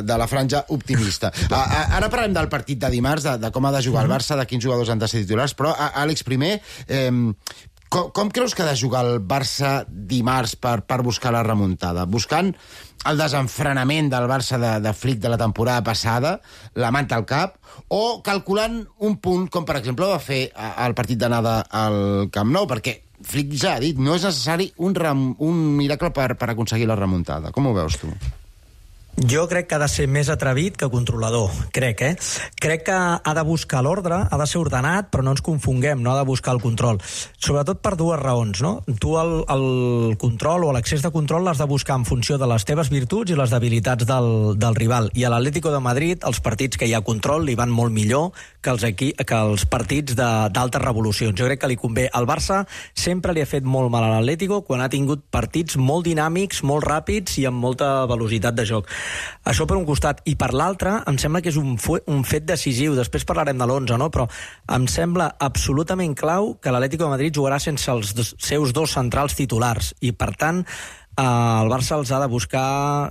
B: de la franja optimista. Ara parlem del partit de dimarts, de com ha de jugar el Barça, de quins jugadors han de ser titulars, però, Àlex, primer, com creus que ha de jugar el Barça dimarts per buscar la remuntada? Buscant el desenfrenament del Barça de Flick de la temporada passada, la manta al cap, o calculant un punt, com per exemple va fer el partit d'anada al Camp Nou, perquè Flick ja ha dit, no és necessari un miracle per aconseguir la remuntada. Com ho veus tu?
K: Jo crec que ha de ser més atrevit que controlador, crec. Crec que ha de buscar l'ordre, ha de ser ordenat, però no ens confonguem, no ha de buscar el control. Sobretot per dues raons, no? Tu el control o l'accés de control l'has de buscar en funció de les teves virtuts i les debilitats del rival. I a l'Atlético de Madrid, els partits que hi ha control li van molt millor que els partits d'altes revolucions. Jo crec que li convé. El Barça sempre li ha fet molt mal a l'Atlético quan ha tingut partits molt dinàmics, molt ràpids i amb molta velocitat de joc. Això per un costat. I per l'altre, em sembla que és un fet decisiu. Després parlarem de l'11, no? Però em sembla absolutament clau que l'Atlético de Madrid jugarà sense els seus dos centrals titulars. I, per tant, el Barça els ha de buscar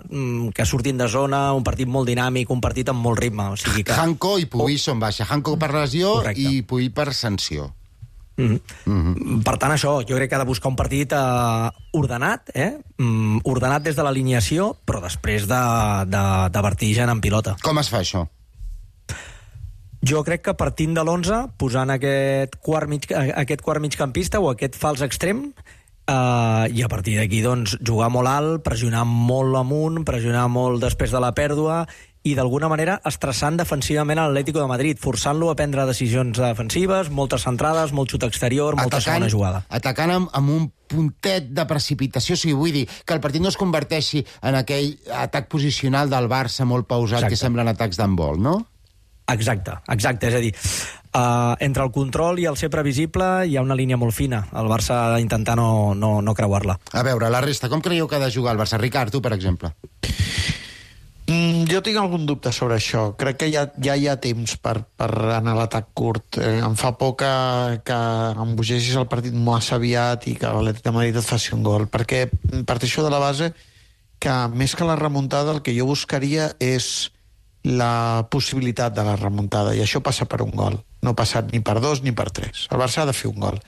K: que surtin de zona, un partit molt dinàmic, un partit amb molt ritme. O sigui que...
B: Hanko i Puig són baixa. Hanko per lesió. Correcte. I Puig per sanció.
K: Per tant, això, jo crec que ha de buscar un partit ordenat, ordenat des de l'alineació, però després de vertigen en pilota.
B: Com es fa això?
K: Jo crec que partint de l'11, posant aquest quart migcampista o aquest fals extrem, i a partir d'aquí doncs, jugar molt alt, pressionar molt amunt, pressionar molt després de la pèrdua i d'alguna manera estressant defensivament a l'Atlético de Madrid, forçant-lo a prendre decisions defensives, moltes centrades, molt xut exterior, molta segona jugada.
B: Atacant amb un puntet de precipitació, o sigui, vull dir que el partit no es converteixi en aquell atac posicional del Barça molt pausat. Exacte. Que semblen atacs d'handbol, no?
K: Exacte, és a dir, entre el control i el ser previsible hi ha una línia molt fina. El Barça ha d'intentar no creuar-la.
B: A veure, la resta, com creieu que ha de jugar el Barça? Ricard, tu, per exemple.
I: Jo tinc algun dubte sobre això. Crec que ja hi ha temps per anar a l'atac curt. Em fa por que embogeixis el partit massa aviat i que l'Atlètic de Madrid et faci un gol, perquè parteixo de la base que més que la remuntada el que jo buscaria és la possibilitat de la remuntada, i això passa per un gol. No ha passat ni per 2 ni per 3. El Barça ha de fer un gol.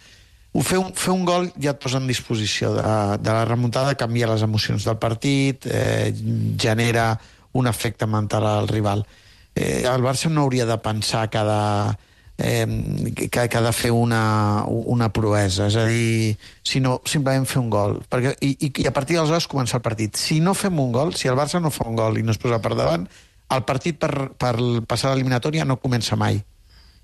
I: Fer un gol ja et posa en disposició de la remuntada, canvia les emocions del partit, genera un efecte mental al rival. El Barça no hauria de pensar que ha de fer una proesa, és a dir, sinó simplement fer un gol. I a partir d'aleshores comença el partit. Si no fem un gol, si el Barça no fa un gol i no es posa per davant, el partit per passar l'eliminatòria no comença mai.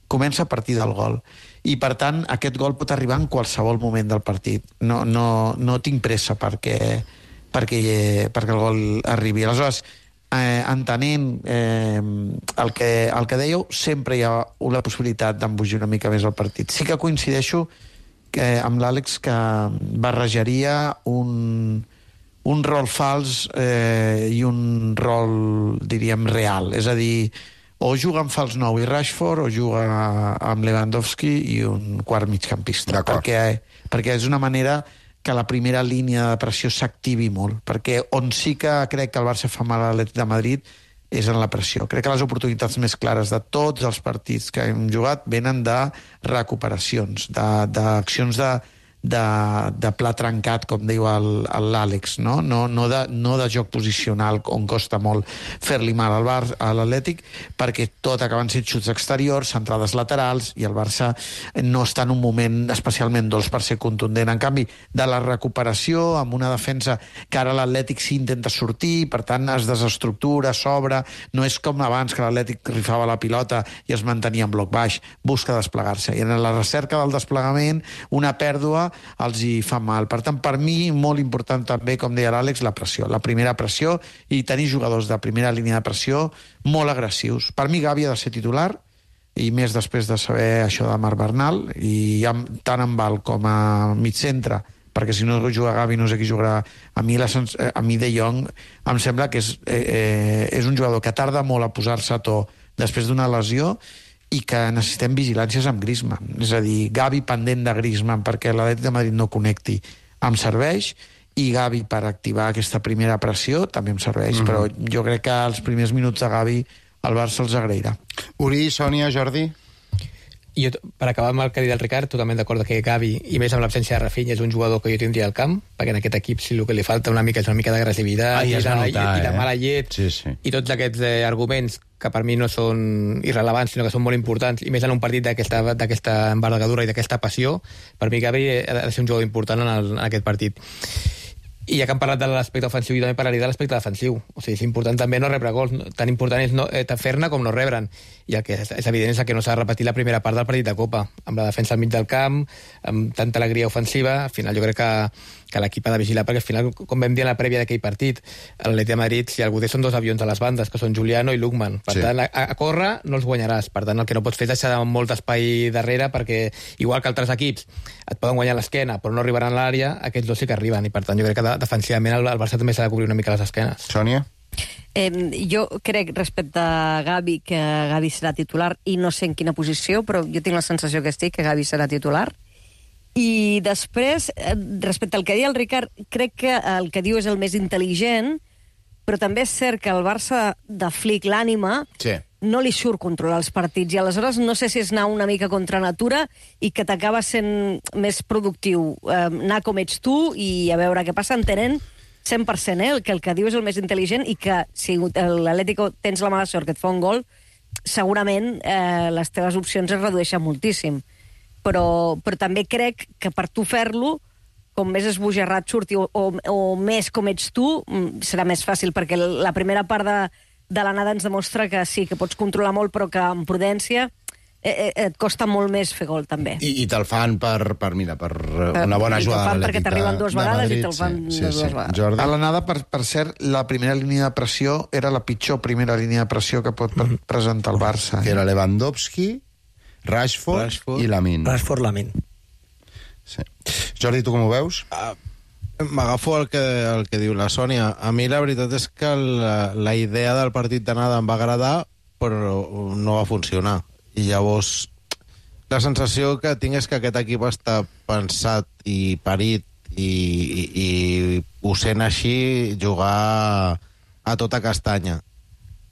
I: Comença a partir del gol. I, per tant, aquest gol pot arribar en qualsevol moment del partit. No tinc pressa perquè el gol arribi. Aleshores, entenent el que dèieu, sempre hi ha la possibilitat d'embogir una mica més el partit. Sí que coincideixo amb l'Àlex que barrejaria un rol fals i un rol, diríem, real. És a dir, o juga amb fals 9 i Rashford, o juga amb Lewandowski i un quart migcampista. Perquè és una manera que la primera línia de pressió s'activi molt, perquè on sí que crec que el Barça fa mal a l'Atlètic de Madrid és en la pressió. Crec que les oportunitats més clares de tots els partits que hem jugat venen de recuperacions, d'accions de pla trencat, com diu l'Àlex, no de joc posicional, on costa molt fer-li mal a l'Atlètic, perquè tot acaben sent xuts exteriors, centrades laterals, i el Barça no està en un moment especialment dolç per ser contundent. En canvi, de la recuperació, amb una defensa que ara l'Atlètic sí intenta sortir, per tant es desestructura, s'obre, no és com abans que l'Atlètic rifava la pilota i es mantenia en bloc baix, busca desplegar-se, i en la recerca del desplegament una pèrdua els hi fa mal. Per tant, per mi, molt important també, com deia l'Àlex, la pressió, la primera pressió, i tenir jugadors de primera línia de pressió molt agressius. Per mi, Gavi ha de ser titular, i més després de saber això de Marc Bernal, i tant en Val com a migcentre, perquè si no juga Gavi no sé qui jugarà. A mi De Jong em sembla que és un jugador que tarda molt a posar-se a to després d'una lesió, i que necessitem vigilàncies amb Griezmann. És a dir, Gavi pendent de Griezmann perquè l'Atlètic de Madrid no connecti em serveix, i Gavi per activar aquesta primera pressió també em serveix, però jo crec que els primers minuts de Gavi el Barça els agrairà.
B: Uri, Sònia, Jordi?
D: Jo, per acabar amb el que ha dit el Ricard, totalment d'acord que Gavi, i més amb l'absència de Rafinha, és un jugador que jo tindria al camp, perquè en aquest equip sí el que li falta una mica és una mica d'agressivitat i la mala llet, i tots aquests arguments que per mi no són irrelevants, sinó que són molt importants, i més en un partit d'aquesta envergadura i d'aquesta passió, per mi Gavi ha de ser un jugador important en aquest partit. I ja que hem parlat de l'aspecte ofensiu, jo també parlaria de l'aspecte defensiu. O sigui, és important també no rebre gols. Tan important és fer-ne com no rebre'n. I el que és evident és que no s'ha de repetir la primera part del partit de Copa. Amb la defensa al mig del camp, amb tanta alegria ofensiva, al final jo crec que l'equip ha de vigilar, perquè al final, com vam dir en la prèvia d'aquell partit, l'Atlètic de Madrid, si algú té, són 2 avions a les bandes, que són Juliano i Lookman. Per tant, a córrer no els guanyaràs. Per tant, el que no pots fer és deixar molt d'espai darrere, perquè, igual que altres equips, et poden guanyar l'esquena, però no arribaran a l'àrea, aquests 2 sí que arriben, i per tant jo crec que defensivament el Barça també s'ha de cobrir una mica les esquenes.
B: Sònia?
H: Jo crec, respecte a Gavi, que Gavi serà titular, i no sé en quina posició, però jo tinc la sensació que Gavi serà titular. I després, respecte al que deia el Ricard, crec que el que diu és el més intel·ligent, però també és cert que el Barça de Flick, l'ànima, no li surt controlar els partits, i aleshores no sé si és anar una mica contra natura i que t'acaba sent més productiu anar com ets tu i a veure què passa, entenent 100% que el que diu és el més intel·ligent, i que si l'Atlético tens la mala sort que et fa un gol, segurament les teves opcions es redueixen moltíssim. Però també crec que per tu fer-lo, com més esbojarrat surti o més com ets tu, serà més fàcil, perquè la primera part de l'anada ens demostra que sí, que pots controlar molt, però que amb prudència et costa molt més fer gol, també.
B: I te'l fan per una bona jugada.
H: I te'l fan perquè t'arriben 2 vegades i te'l fan 2 vegades.
B: Jordi?
I: A l'anada, per cert, la primera línia de pressió era la pitjor primera línia de pressió que pot presentar el Barça.
B: Que era Lewandowski, Rashford i Lamine.
K: Lamine.
B: Sí. Jordi, tu com ho veus?
E: M'agafo el que diu la Sònia. A mi la veritat és que la idea del partit d'anada em va agradar, però no va funcionar. I llavors la sensació que tinc és que aquest equip està pensat i parit i ho sent així jugar a tota castanya.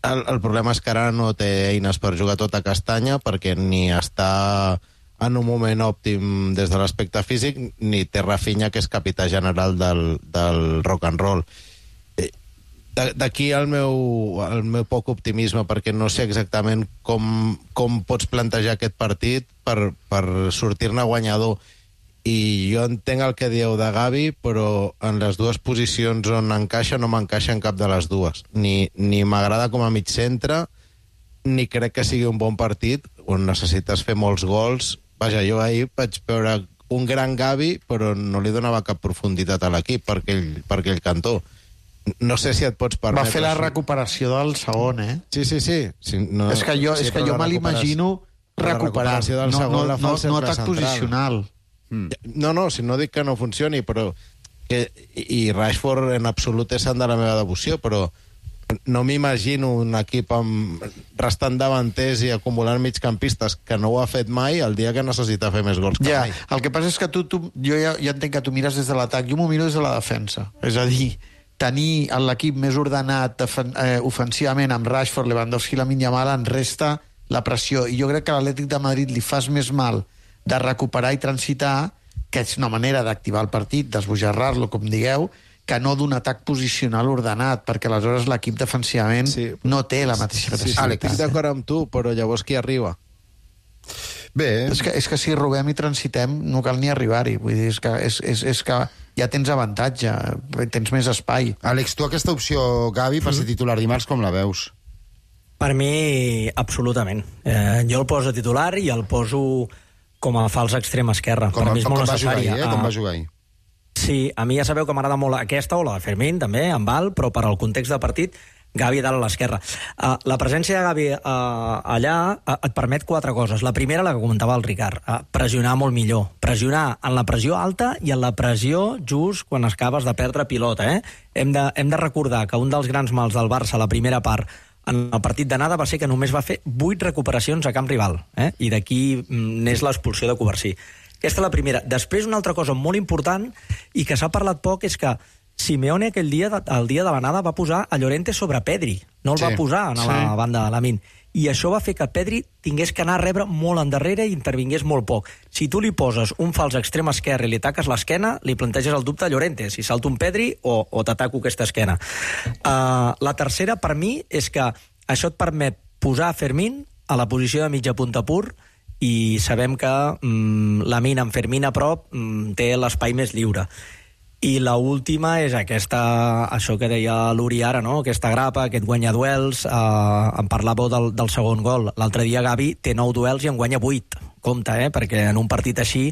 E: El problema és que ara no té eines per jugar tota castanya, perquè ni està en un moment òptim des de l'aspecte físic, ni té Rafinha, que és capità general del rock and roll. D'aquí el meu poc optimisme, perquè no sé exactament com pots plantejar aquest partit per sortir-ne guanyador. I jo entenc el que dieu de Gavi, però en les dues posicions on encaixa no m'encaixa en cap de les dues. Ni m'agrada com a mig centre, ni crec que sigui un bon partit on necessites fer molts gols. Vaja, jo ahir vaig veure un gran Gavi, però no li donava cap profunditat a l'equip per aquell cantó. No sé si et pots permetre...
I: Va fer la recuperació del segon, eh?
E: Sí. No,
I: és que jo me l'imagino recuperar, no atac posicional.
E: No, si no dic que no funcioni, però... I Rashford en absolut és sant de la meva devoció, però no m'imagino un equip restant davanters i acumulant migcampistes que no ho ha fet mai el dia que necessita fer més gols que mai.
I: El que passa és que jo ja entenc que tu mires des de l'atac, jo m'ho miro des de la defensa. És a dir, tenir l'equip més ordenat ofensivament amb Rashford, Lewandowski i Lamine Yamal en resta la pressió. I jo crec que a l'Atlètic de Madrid li fas més mal de recuperar i transitar, que és una manera d'activar el partit, d'esbojarrar-lo, com digueu, que no d'un atac posicional ordenat, perquè aleshores l'equip defensivament no té la mateixa pressió.
E: Estic d'acord amb tu, però llavors qui arriba?
B: Bé...
I: És que si robem i transitem no cal ni arribar-hi. Vull dir, és que ja tens avantatge, tens més espai.
B: Àlex, tu aquesta opció Gavi per ser titular dimarts com la veus?
K: Per mi, absolutament. Jo el poso titular i el poso com a fals extrem esquerra. Per mi és molt necessari.
B: Com va jugar ahir?
K: Sí, a mi ja sabeu que m'agrada molt aquesta o la de Fermín, també, amb Val, però per al context del partit, Gavi dalt a l'esquerra. La presència de Gavi allà et permet 4 coses. La primera, la que comentava el Ricard, pressionar molt millor. Pressionar en la pressió alta i en la pressió just quan acabes de perdre pilota. Hem de recordar que un dels grans mals del Barça a la primera part en el partit d'anada va ser que només va fer 8 recuperacions a camp rival, i d'aquí n'és l'expulsió de Covarsí. Aquesta és la primera. Després, una altra cosa molt important i que s'ha parlat poc és que Simeone el dia de l'anada va posar a Llorente sobre Pedri, no el va posar a la banda de Lamine, i això va fer que Pedri tingués que anar a rebre molt endarrere i intervingués molt poc. Si tu li poses un fals extrem esquerre i li taques l'esquena, li planteges el dubte a Llorente, si salta un Pedri o t'ataco aquesta esquena. La tercera, per mi, és que això et permet posar Fermín a la posició de mitja punta pur i sabem que Lamine amb Fermín a prop té l'espai més lliure. I l'última és això que deia l'Uri ara, no? Aquesta grapa, aquest guanyaduels. En parlàveu del segon gol. L'altre dia Gavi té 9 duels i en guanya 8. Compte, perquè en un partit així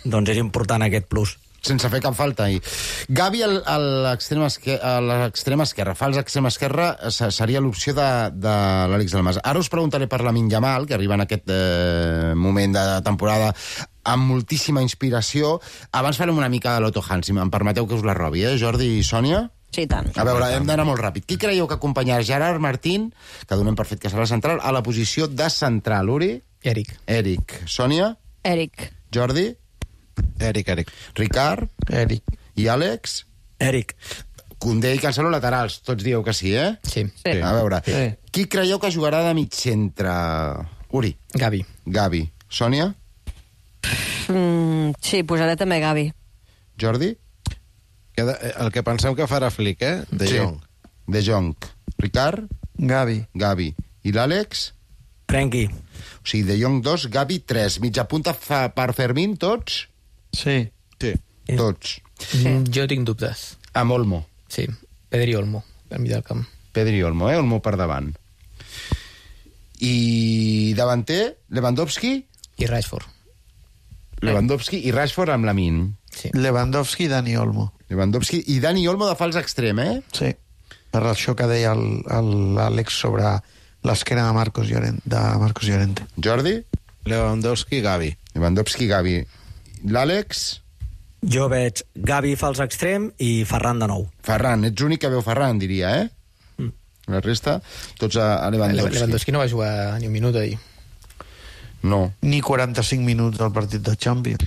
K: doncs és important aquest plus.
B: Sense fer cap falta ahir. Gavi a l'extrem esquerra, fals extrem esquerra, seria l'opció de l'Àlex Dalmas. Ara us preguntaré per Lamine Yamal, que arriba en aquest moment de temporada amb moltíssima inspiració. Abans farem una mica de l'Otto Hans, si em permeteu que us la robi, Jordi i Sònia?
H: Sí, tant.
B: A veure, hem d'anar molt ràpid. Qui creieu que acompanyarà Gerard Martín, que donem per fet que serà central, a la posició de central? Uri? Eric. Sònia?
H: Eric.
B: Jordi?
E: Eric.
B: Ricard?
I: Eric.
B: I Àlex?
K: Eric.
B: Koundé i Cancelo laterals. Tots dieu que sí, eh?
D: Sí.
B: A veure, qui creieu que jugarà de mig centre? Uri?
D: Gavi.
B: Sònia?
H: Sí, posaré també Gavi.
B: Jordi?
E: El que pensem que farà Flick, De Jong.
B: De Jong. Ricard?
I: Gavi.
B: I l'Àlex?
K: Frenkie.
B: O sigui, De Jong 2, Gavi 3. Mitja punta per Fermín, tots?
I: Sí.
B: Tots.
D: Jo tinc dubtes.
B: Amb Olmo.
D: Sí, Pedri Olmo, al mig del camp.
B: Pedri Olmo, Olmo per davant. I davanter, Lewandowski?
D: I Rashford.
B: Lewandowski i Rashford amb Lamine.
I: Sí. Lewandowski i Dani Olmo.
B: Lewandowski i Dani Olmo de fals extrem,
I: Sí. Per això que deia l'Àlex sobre l'esquena de Marcos Llorente.
B: Jordi?
E: Lewandowski, Gavi.
B: L'Àlex?
K: Jo veig Gavi fals extrem i Ferran de nou.
B: Ferran, ets l'únic que veu Ferran, diria, La resta, tots a Lewandowski.
D: Lewandowski no va jugar ni un minut ahir.
B: No.
I: Ni 45 minuts del partit de Champions.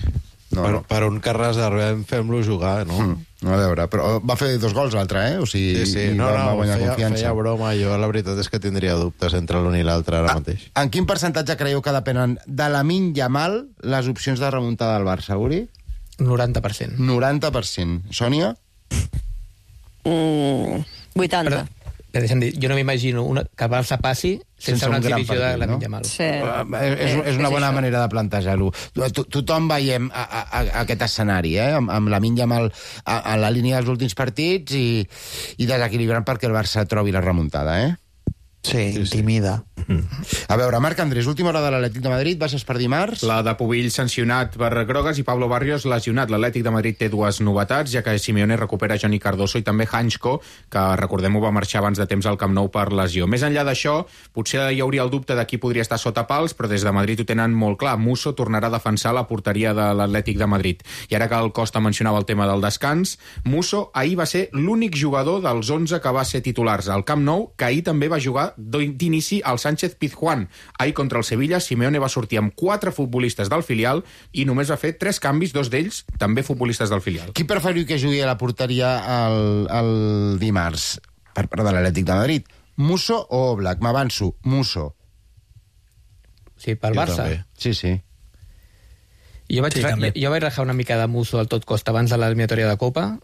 E: Per un que reservem, fem-lo jugar, no?
B: A veure, però va fer 2 gols l'altre, Sí. Va guanyar confiança.
E: Feia broma. Jo la veritat és que tindria duptes entre l'un i l'altre ara mateix.
B: En quin percentatge creieu que depenen de Lamine Yamal les opcions de remuntada del Barça, Uri?
D: 90%.
B: 90%. Sònia?
H: 80.
D: Però deixa'm dir, jo no m'imagino que el Barça passi sense una exhibició de Lamine Yamal.
H: Sí.
B: És una bona manera de plantejar-ho. Tothom veiem aquest escenari, amb Lamine Yamal a la línia dels últims partits i desequilibrant perquè el Barça trobi la remuntada,
I: Sí, intimida.
B: A veure, Marc Andrés, última hora de l'Atlètic de Madrid, baixes per dimarts.
G: La de Pubill sancionat per grogues i Pablo Barrios lesionat. L'Atlètic de Madrid té 2 novetats, ja que Simeone recupera Johnny Cardoso i també Hanchko, que recordem-ho va marxar abans de temps al Camp Nou per lesió. Més enllà d'això, potser hi hauria el dubte de qui podria estar sota pals, però des de Madrid ho tenen molt clar. Musso tornarà a defensar la porteria de l'Atlètic de Madrid. I ara que el Costa mencionava el tema del descans, Musso ahir va ser l'únic jugador dels 11 que va ser titulars al Camp Nou, que ahir també va jugar d'inici al Sánchez Pizjuán. Ahir contra el Sevilla, Simeone va sortir amb 4 futbolistes del filial i només va fer 3 canvis, 2 d'ells també futbolistes del filial.
B: Qui preferiu que jugui a la porteria el dimarts per part de l'Atlètic de Madrid? Musso o Oblak? M'avanço. Musso.
D: Sí, pel Barça.
B: Sí.
D: Jo vaig rajar una mica de Musso al tot costa abans de l'eliminatòria de Copa,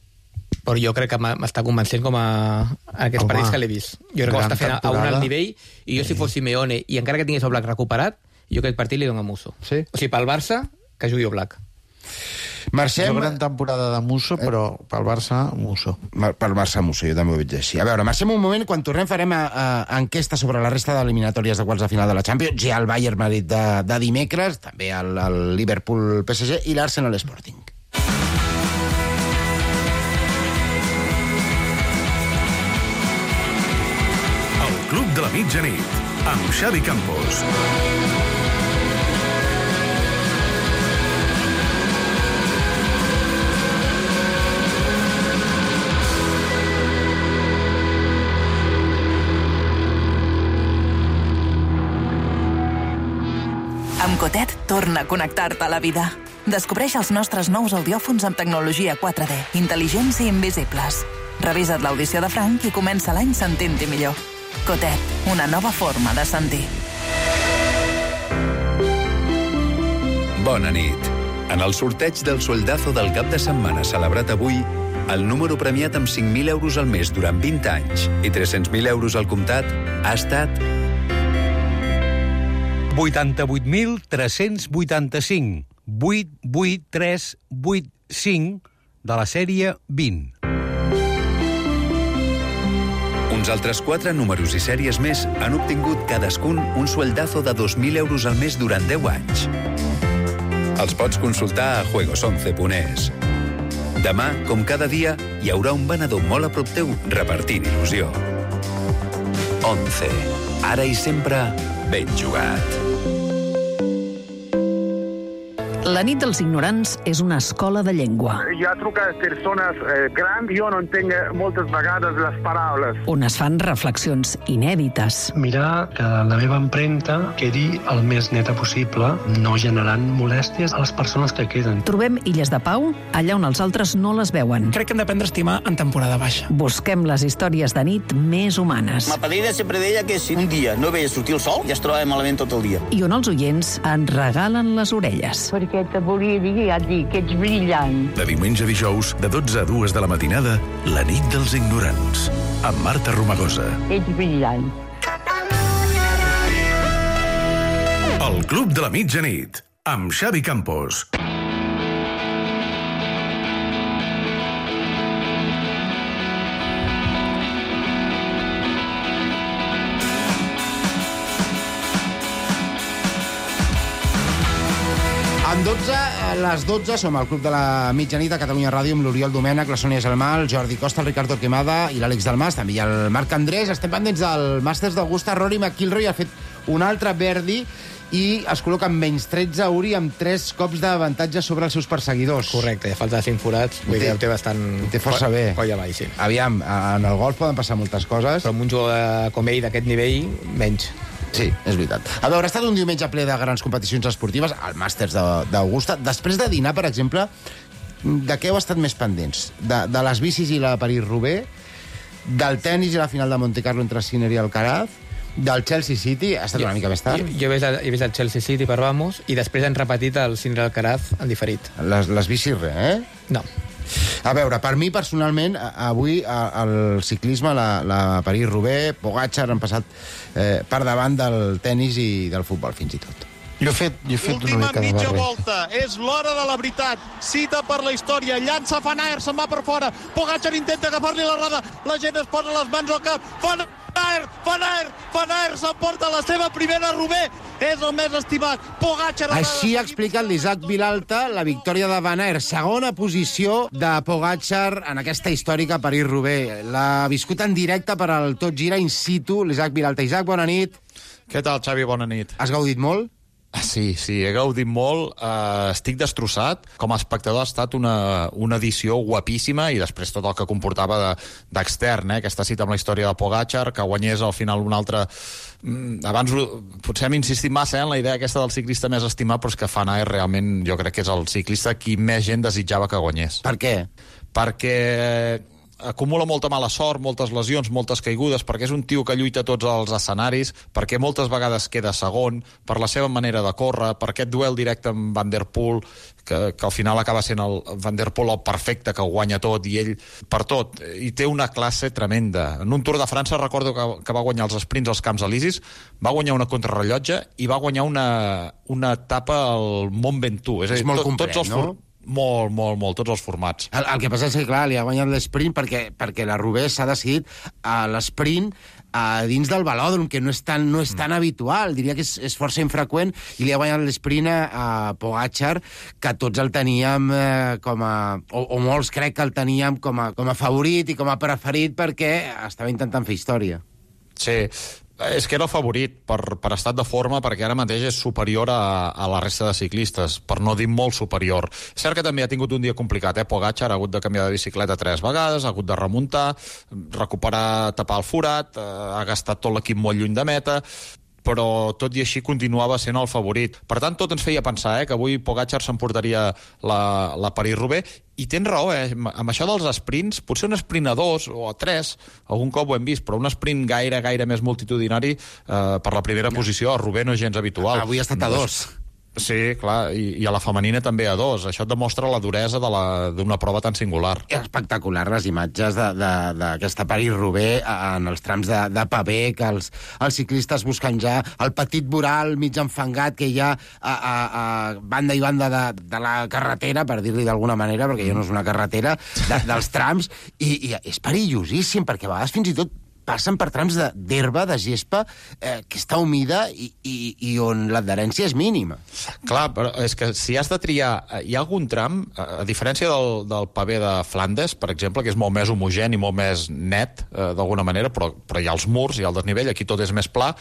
D: però jo crec que m'està convencent com a aquests partits que l'he vist. Jo crec que està fent a un alt nivell, i jo si fos Simeone, i encara que tingués Oblak recuperat, jo aquest partit li dono a Musso.
B: Sí?
D: O sigui, pel Barça, que jugui Oblak.
B: Marxem...
I: Jo gran temporada de Musso, però pel Barça, Musso.
B: Pel Barça, Musso, jo també ho veig així. A veure, marxem un moment, quan tornem farem enquesta sobre la resta d'eliminatòries de quarts de final de la Champions, ja el Bayern Madrid de dimecres, també el Liverpool PSG i l'Arsenal Sporting.
C: Club de la Mitjanit, amb Xavi Campos.
L: Amb Cotet torna a connectar-te a la vida. Descobreix els nostres nous audiòfons amb tecnologia 4D, intel·ligents i invisibles. Revisa't l'audició de Frank i comença l'any sentint-hi millor. Cotet, una nova forma de sentir.
M: Bona nit. En el sorteig del sueldazo del cap de setmana celebrat avui, el número premiat amb 5.000 euros al mes durant 20 anys i 300.000 euros al comptat ha estat
N: 88.385. 88385 de la sèrie 20.
M: Uns altres 4 números i sèries més han obtingut cadascun un sueldazo de 2.000 euros al mes durant 10 anys. Els pots consultar a juegos11.es. Demà, com cada dia, hi haurà un venedor molt a prop teu repartint il·lusió. 11. Ara i sempre, ben jugat.
O: La nit dels ignorants és una escola de llengua.
P: Hi ha trucat persones grans, jo no entenc moltes vegades les paraules.
O: On es fan reflexions inèdites.
Q: Mirar que la meva empremta quedi el més neta possible, no generant molèsties a les persones que queden.
O: Trobem illes de pau allà on els altres no les veuen.
R: Crec que hem d'aprendre a estimar en temporada baixa.
O: Busquem les històries de nit més humanes.
S: Ma padrina sempre deia que si un dia no veia sortir el sol, ja es trobava malament tot el dia.
O: I on els oients ens regalen les orelles.
T: Perquè te volia dir, ja et dic, que ets brillant.
C: De diumenge a dijous, de 12 a 2 de la matinada, la nit dels ignorants, amb Marta Romagosa.
T: Ets brillant.
C: El Club de la Mitjanit, amb Xavi Campos.
B: En 12, a les 12, som al Club de la Mitjanit a Catalunya Ràdio amb l'Oriol Domènech, la Sònia Gelmà, el Jordi Costa, el Ricardo Quemada i l'Àlex Dalmas, també hi ha el Marc Andrés. Estem pendents del Masters d'Augusta. Rory McIlroy ha fet un altre birdie i es col·loca amb menys 13, Uri, amb 3 cops d'avantatge sobre els seus perseguidors.
D: Correcte, ja falta 5 forats, vull dir, ho té bastant...
B: Ho té força bé.
D: Coll avall, sí.
B: Aviam, en el golf poden passar moltes coses.
D: Però amb un jugador com ell d'aquest nivell, menys.
B: Sí, és veritat. A veure, ha estat un diumenge ple de grans competicions esportives, el Màsters d'Augusta. Després de dinar, per exemple, de què heu estat més pendents? De les bicis i la París-Roubaix, del tennis i la final de Monte Carlo entre Sinner i Alcaraz, del Chelsea City, ha estat una mica més tard.
D: Jo he vist el Chelsea City per Vamos i després han repetit el Sinner Alcaraz en diferit.
B: Les bicis res,
D: No.
B: A veure, per mi, personalment, avui el ciclisme, la París-Roubaix, Pogačar han passat per davant del tennis i del futbol, fins i tot.
I: Jo he fet una mica de
U: mitja
I: barrer.
U: volta, és l'hora de la veritat. Cita per la història, llança Van Aert, se'n va per fora. Pogačar intenta agafar-li la roda, la gent es posa les mans al cap. Van Aert s'emporta la seva primera Roubaix. És el més estimat. Pogačar...
B: Així ha explicat l'Isaac Vilalta la victòria de Van Aert. Segona posició de Pogačar en aquesta històrica París-Roubaix. L'ha viscut en directe per al Tot Gira in situ l'Isaac Vilalta. Isaac, bona nit.
V: Què tal, Xavi? Bona nit.
B: Has gaudit molt?
V: Sí, he gaudit molt. Estic destrossat. Com a espectador ha estat una edició guapíssima i després tot el que comportava d'extern, aquesta cita amb la història de Pogačar, que guanyés al final un altre... Abans potser hem insistit massa en la idea aquesta del ciclista més estimat, però és que Van Aert realment jo crec que és el ciclista qui més gent desitjava que guanyés.
B: Per què?
V: Perquè acumula molta mala sort, moltes lesions, moltes caigudes, perquè és un tio que lluita a tots els escenaris, perquè moltes vegades queda segon, per la seva manera de córrer, per aquest duel directe amb Van der Poel, que al final acaba sent el Van der Poel el perfecte, que ho guanya tot, i ell per tot. I té una classe tremenda. En un Tour de França recordo que va guanyar els sprints als Camps Elisis, va guanyar una contrarrellotge i va guanyar una etapa al Mont Ventoux.
B: És molt complet,
V: tots els
B: no?
V: Molt, tots els formats.
B: El que passa és que, clar, li ha guanyat l'esprint perquè la Roubaix s'ha decidit a l'esprint dins del velòdrom, que no és tan habitual, diria que és força infreqüent, i li ha guanyat l'esprint a Pogačar, que tots el teníem o molts crec que el teníem com a favorit i com a preferit perquè estava intentant fer història.
V: Sí, és que era el favorit per estat de forma, perquè ara mateix és superior a la resta de ciclistes, per no dir molt superior. És cert que també ha tingut un dia complicat, Pogačar ha hagut de canviar de bicicleta 3 vegades, ha hagut de remuntar, recuperar, tapar el forat, ha gastat tot l'equip molt lluny de meta, però tot i així continuava sent el favorit. Per tant, tot ens feia pensar que avui Pogačar s'emportaria la París-Roubaix, i tens raó, amb això dels sprints, potser un sprint a 2 o a 3, algun cop ho hem vist, però un sprint gaire més multitudinari per la primera posició a Roubaix no és gens habitual.
B: Avui ha estat a 2.
V: Sí, clar, i a la femenina també a 2. Això et demostra la duresa d'una prova tan singular.
B: Espectacular, les imatges d'aquesta París-Roubaix en els trams de pavé, que els ciclistes busquen ja el petit voral mig enfangat que hi ha a banda i banda de la carretera, per dir-li d'alguna manera, perquè ja no és una carretera, dels trams, i és perillosíssim, perquè a vegades fins i tot passen per trams d'herba, de gespa, que està humida i on l'adherència és mínima.
V: Clar, però és que si has de triar... Hi ha algun tram, a diferència del pavé de Flandes, per exemple, que és molt més homogeni, molt més net, d'alguna manera, però hi ha els murs, hi ha el desnivell, aquí tot és més pla,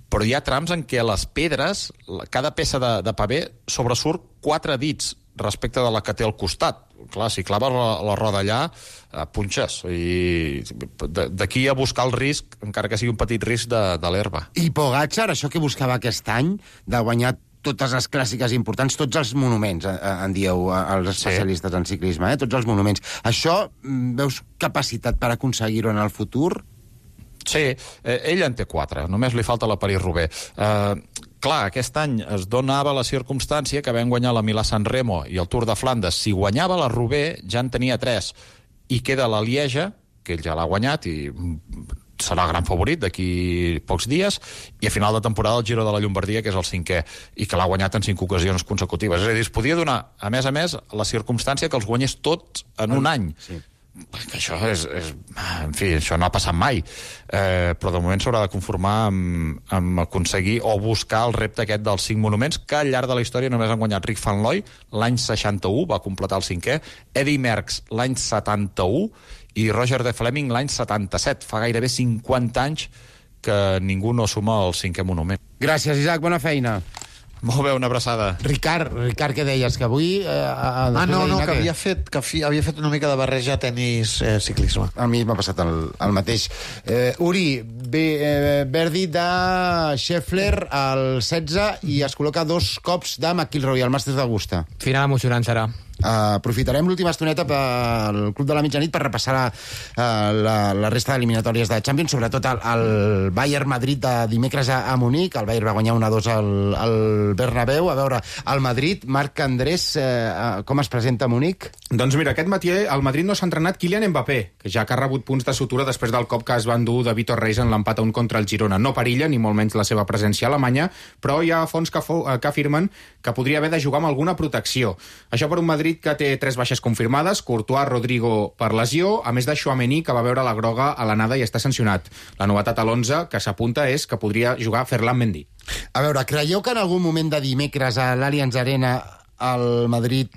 V: però hi ha trams en què les pedres, cada peça de pavé sobresurt 4 dits respecte de la que té al costat. Clar, si claves la roda allà, punxes. I d'aquí a buscar el risc, encara que sigui un petit risc de l'herba.
B: I Pogačar, això que buscava aquest any, de guanyar totes les clàssiques importants, tots els monuments, en dieu els especialistes en ciclisme, tots els monuments. Això, veus capacitat per aconseguir-ho en el futur?
V: Sí, ell en té 4, només li falta la París-Roubaix. Clar, aquest any es donava la circumstància que vam guanyar la Milà-San Remo i el Tour de Flandes. Si guanyava la Roubaix, ja en tenia 3. I queda la Lieja, que ell ja l'ha guanyat i serà el gran favorit d'aquí pocs dies, i a final de temporada el Giro de la Llombardia, que és el 5è, i que l'ha guanyat en 5 ocasions consecutives. És a dir, es podia donar, a més, la circumstància que els guanyés tots en un any. Sí. Això en fi, això no ha passat mai, però de moment s'haurà de conformar amb aconseguir o buscar el repte aquest dels 5 monuments, que al llarg de la història només han guanyat Rick Van Looy l'any 61, va completar el 5è, Eddy Merckx l'any 71 i Roger de Fleming l'any 77. Fa gairebé 50 anys que ningú no suma el 5è monument.
B: Gràcies, Isaac, bona feina.
V: Molt bé, una abraçada.
B: Ricard, què deies? Que avui...
I: que havia fet una mica de barreja tenis-ciclisme.
B: A mi m'ha passat el mateix. Uri, Verdi de Scheffler al 16 i es col·loca 2 cops de McIlroy al Masters d'Augusta.
D: Final emocionant serà.
B: Aprofitarem l'última estoneta pel Club de la Mitjanit per repassar la resta d'eliminatòries de Champions, sobretot el Bayern Madrid de dimecres a Munic. El Bayern va guanyar 1-2 al Bernabéu. A veure, el Madrid, Marc Andrés, com es presenta a Munic?
G: Doncs mira, aquest matí al Madrid no s'ha entrenat Kylian Mbappé, que ja que ha rebut punts de sutura després del cop que es va endur de Vitor Reis en l'empat a 1 contra el Girona. No perilla, ni molt menys la seva presència a Alemanya, però hi ha fonts que afirmen que podria haver de jugar amb alguna protecció. Això per un Madrid que té 3 baixes confirmades, Courtois, Rodrigo per lesió, a més de Tchouaméni, que va veure la groga a l'anada i està sancionat. La novetat a l'11 que s'apunta és que podria jugar Ferland Mendy.
B: A veure, creieu que en algun moment de dimecres a l'Allianz Arena el Madrid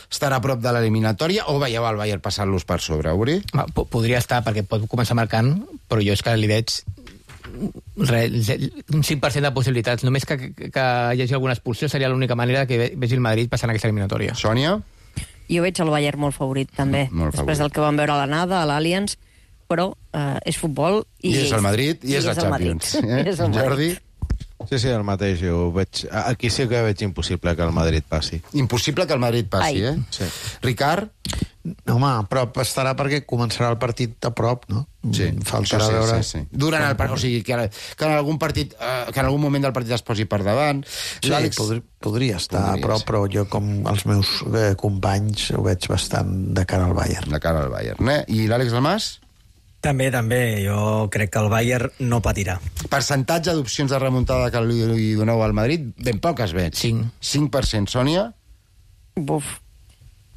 B: estarà a prop de l'eliminatòria o veieu el Bayern passant-los per sobre, Uri?
D: Podria estar, perquè pot començar marcant, però jo és que li veig un 5% de possibilitats. Només que hi hagi alguna expulsió seria l'única manera que vegi el Madrid passant aquesta eliminatòria.
B: Sònia?
H: Jo veig el Bayern molt favorit, també. Després del que vam veure a l'anada, a l'Allianz, però és futbol i
B: és el Madrid i és la Champions. Jordi?
E: Sí, el mateix. Jo veig... Aquí sí que veig impossible que el Madrid passi.
B: Impossible que el Madrid passi,
E: Sí.
B: Ricard?
I: Home, a prop estarà perquè començarà el partit a prop, no?
B: Sí,
I: faltarà veure...
B: Sí. Durant el partit, o sigui, que en algun partit, que en algun moment del partit es posi per davant.
I: Sí, podria estar a prop, però jo, com els meus companys, ho veig bastant de cara al Bayern.
B: De cara al Bayern, I l'Àlex Dalmas?
K: També. Jo crec que el Bayern no patirà.
B: Percentatge d'opcions de remuntada que li doneu al Madrid? Ben poques veig. 5%. Sònia?
H: Buf.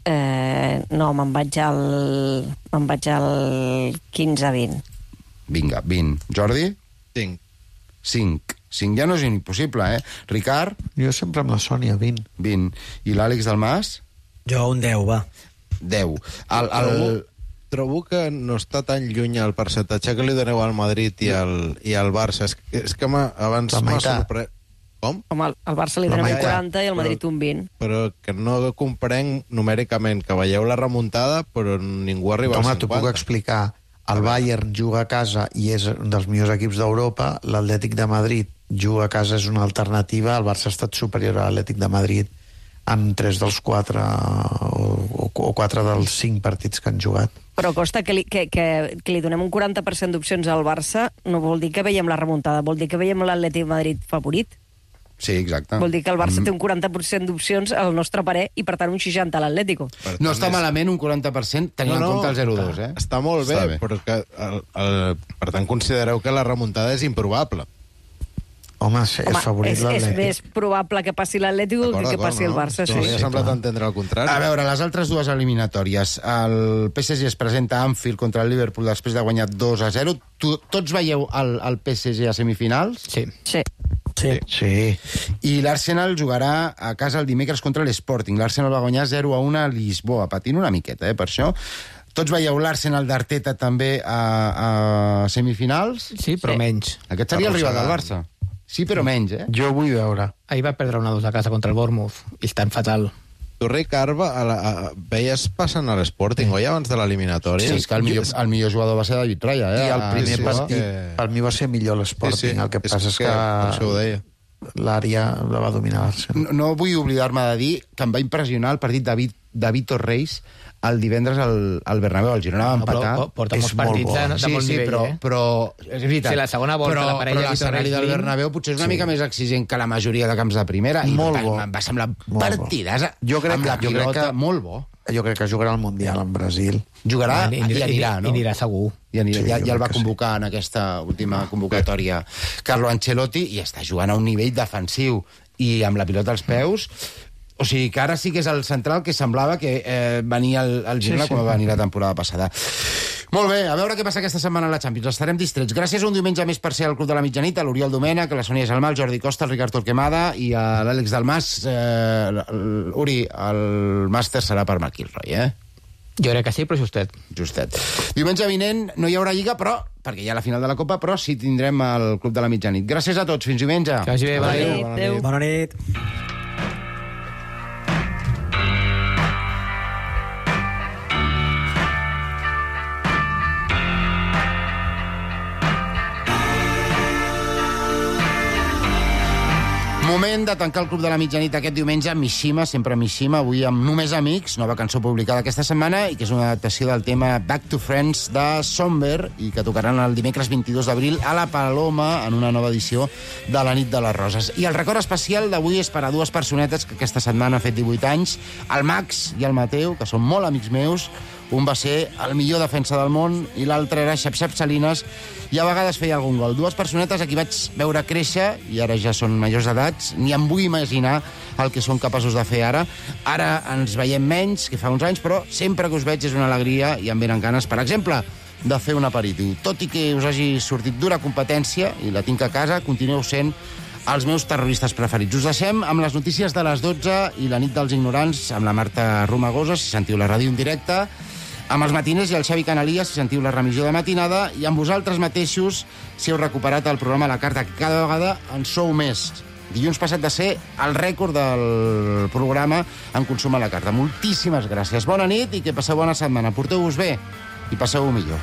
H: No, me'n vaig al 15-20.
B: Vinga, 20. Jordi? 5 ja no és impossible, Ricard?
I: Jo sempre amb la Sònia, 20.
B: I l'Àlex Dalmas?
K: Jo un 10, va.
B: 10.
E: Trobo que no està tan lluny el percentatge que li doneu al Madrid i al Barça. És que abans m'ha sorprès... Com?
H: Home, al Barça li donem un 40 i al Madrid un 20.
E: Però que no comprenc numèricament, que veieu la remuntada, però ningú arriba al 50.
I: Home, t'ho puc explicar. El Bayern juga a casa i és un dels millors equips d'Europa, l'Atlètic de Madrid juga a casa, és una alternativa, el Barça ha estat superior a l'Atlètic de Madrid en 3 dels 4 o 4 dels 5 partits que han jugat.
H: Però costa que li donem un 40% d'opcions al Barça no vol dir que veiem la remuntada, vol dir que veiem l'Atlètic de Madrid favorit.
B: Sí, exacte.
H: Vol dir que el Barça té un 40% d'opcions al nostre parer i, per tant, un 60% a l'Atlético.
B: No està malament un 40% tenint en compte el 0-2,
E: Està molt bé, però que, per tant, considereu que la remuntada és improbable.
I: Home, és favorit l'Atlètic.
H: És més probable que passi l'Atlético que passi el Barça.
E: Sí, m'ha semblat entendre el contrari.
B: A veure, les altres dues eliminatòries. El PSG es presenta a Anfield contra el Liverpool després de guanyar 2-0. Tots veieu el PSG a semifinals?
H: Sí.
B: I l'Arsenal jugarà a casa el dimecres contra l'Sporting. L'Arsenal va guanyar 0-1 a Lisboa, patint una miqueta, per això. Tots veieu l'Arsenal d'Arteta també a semifinals?
D: Sí, però menys.
B: Aquest seria el rival del Barça. Sí, però menys,
I: Jo vull veure.
D: Ahir va perdre 1-2 a casa contra el Bournemouth i estan fatal.
E: Tu, Ricard, veies passant a l'Sporting, oi, abans de l'eliminatòria?
B: Sí, és que el millor jugador va ser David Raya,
I: I el primer partit, per mi va ser millor l'Sporting. El que passa és que l'àrea la va dominar l'Arsenal.
B: No vull oblidar-me de dir que em va impressionar el partit de Vitor Reis el divendres al Bernabéu. El Girona va empatar.
D: Porta molts partits de molt nivell,
B: però és veritat.
D: Sí, la segona volta, la parella
B: però l'escenari del Bernabéu potser és una mica més exigent que la majoria de camps de primera.
I: Molt bo.
B: Em va semblar partidàs amb la pilota, molt bo.
I: Jo crec que jugarà al Mundial en Brasil.
B: Jugarà i anirà, no?
D: I anirà segur.
B: Ja el va convocar en aquesta última convocatòria Carlo Ancelotti i està jugant a un nivell defensiu i amb la pilota als peus. O sigui que ara sí que és el central que semblava que venia el Girona com va venir la temporada passada. Molt bé, a veure què passa aquesta setmana a la Champions. Estarem distrets. Gràcies un diumenge més per ser al Club de la Mitjanit, a l'Oriol Domènech, a la Sònia Gelmà, al Jordi Costa, al Ricard Torquemada i a l'Àlex Dalmas. Uri, el màster serà per McIlroy,
D: Jo crec que sí, però justet.
B: Diumenge vinent no hi haurà Lliga, però perquè hi ha la final de la Copa, però sí tindrem el Club de la Mitjanit. Gràcies a tots, fins diumenge.
D: Que vagi bé,
H: bona nit.
K: Bona nit.
B: Moment de tancar el Club de la Mitjanit aquest diumenge amb Mishima, sempre Mishima, avui amb Només Amics, nova cançó publicada aquesta setmana i que és una adaptació del tema Back to Friends de Somber i que tocaran el dimecres 22 d'abril a la Paloma en una nova edició de la Nit de les Roses. I el record especial d'avui és per a dues personetes que aquesta setmana han fet 18 anys, el Max i el Mateu, que són molt amics meus. Un va ser el millor defensa del món i l'altre era Xap-Xap Salinas i a vegades feia algun gol. Dues personetes a qui vaig veure créixer i ara ja són majors d'edats. Ni em vull imaginar el que són capaços de fer ara. Ara ens veiem menys que fa uns anys, però sempre que us veig és una alegria i em venen ganes, per exemple, de fer un aperitiu. Tot i que us hagi sortit dura competència i la tinc a casa, continueu sent els meus terroristes preferits. Us deixem amb les notícies de les 12 i la nit dels ignorants amb la Marta Romagosa, si sentiu la ràdio en directe, amb els matiners i el Xavi Canalies, si sentiu la remissió de matinada, i amb vosaltres mateixos, si heu recuperat el programa La Carta, que cada vegada en sou més. Dilluns passat de ser el rècord del programa en consum a La Carta. Moltíssimes gràcies. Bona nit i que passeu bona setmana. Porteu-vos bé i passeu-ho millor.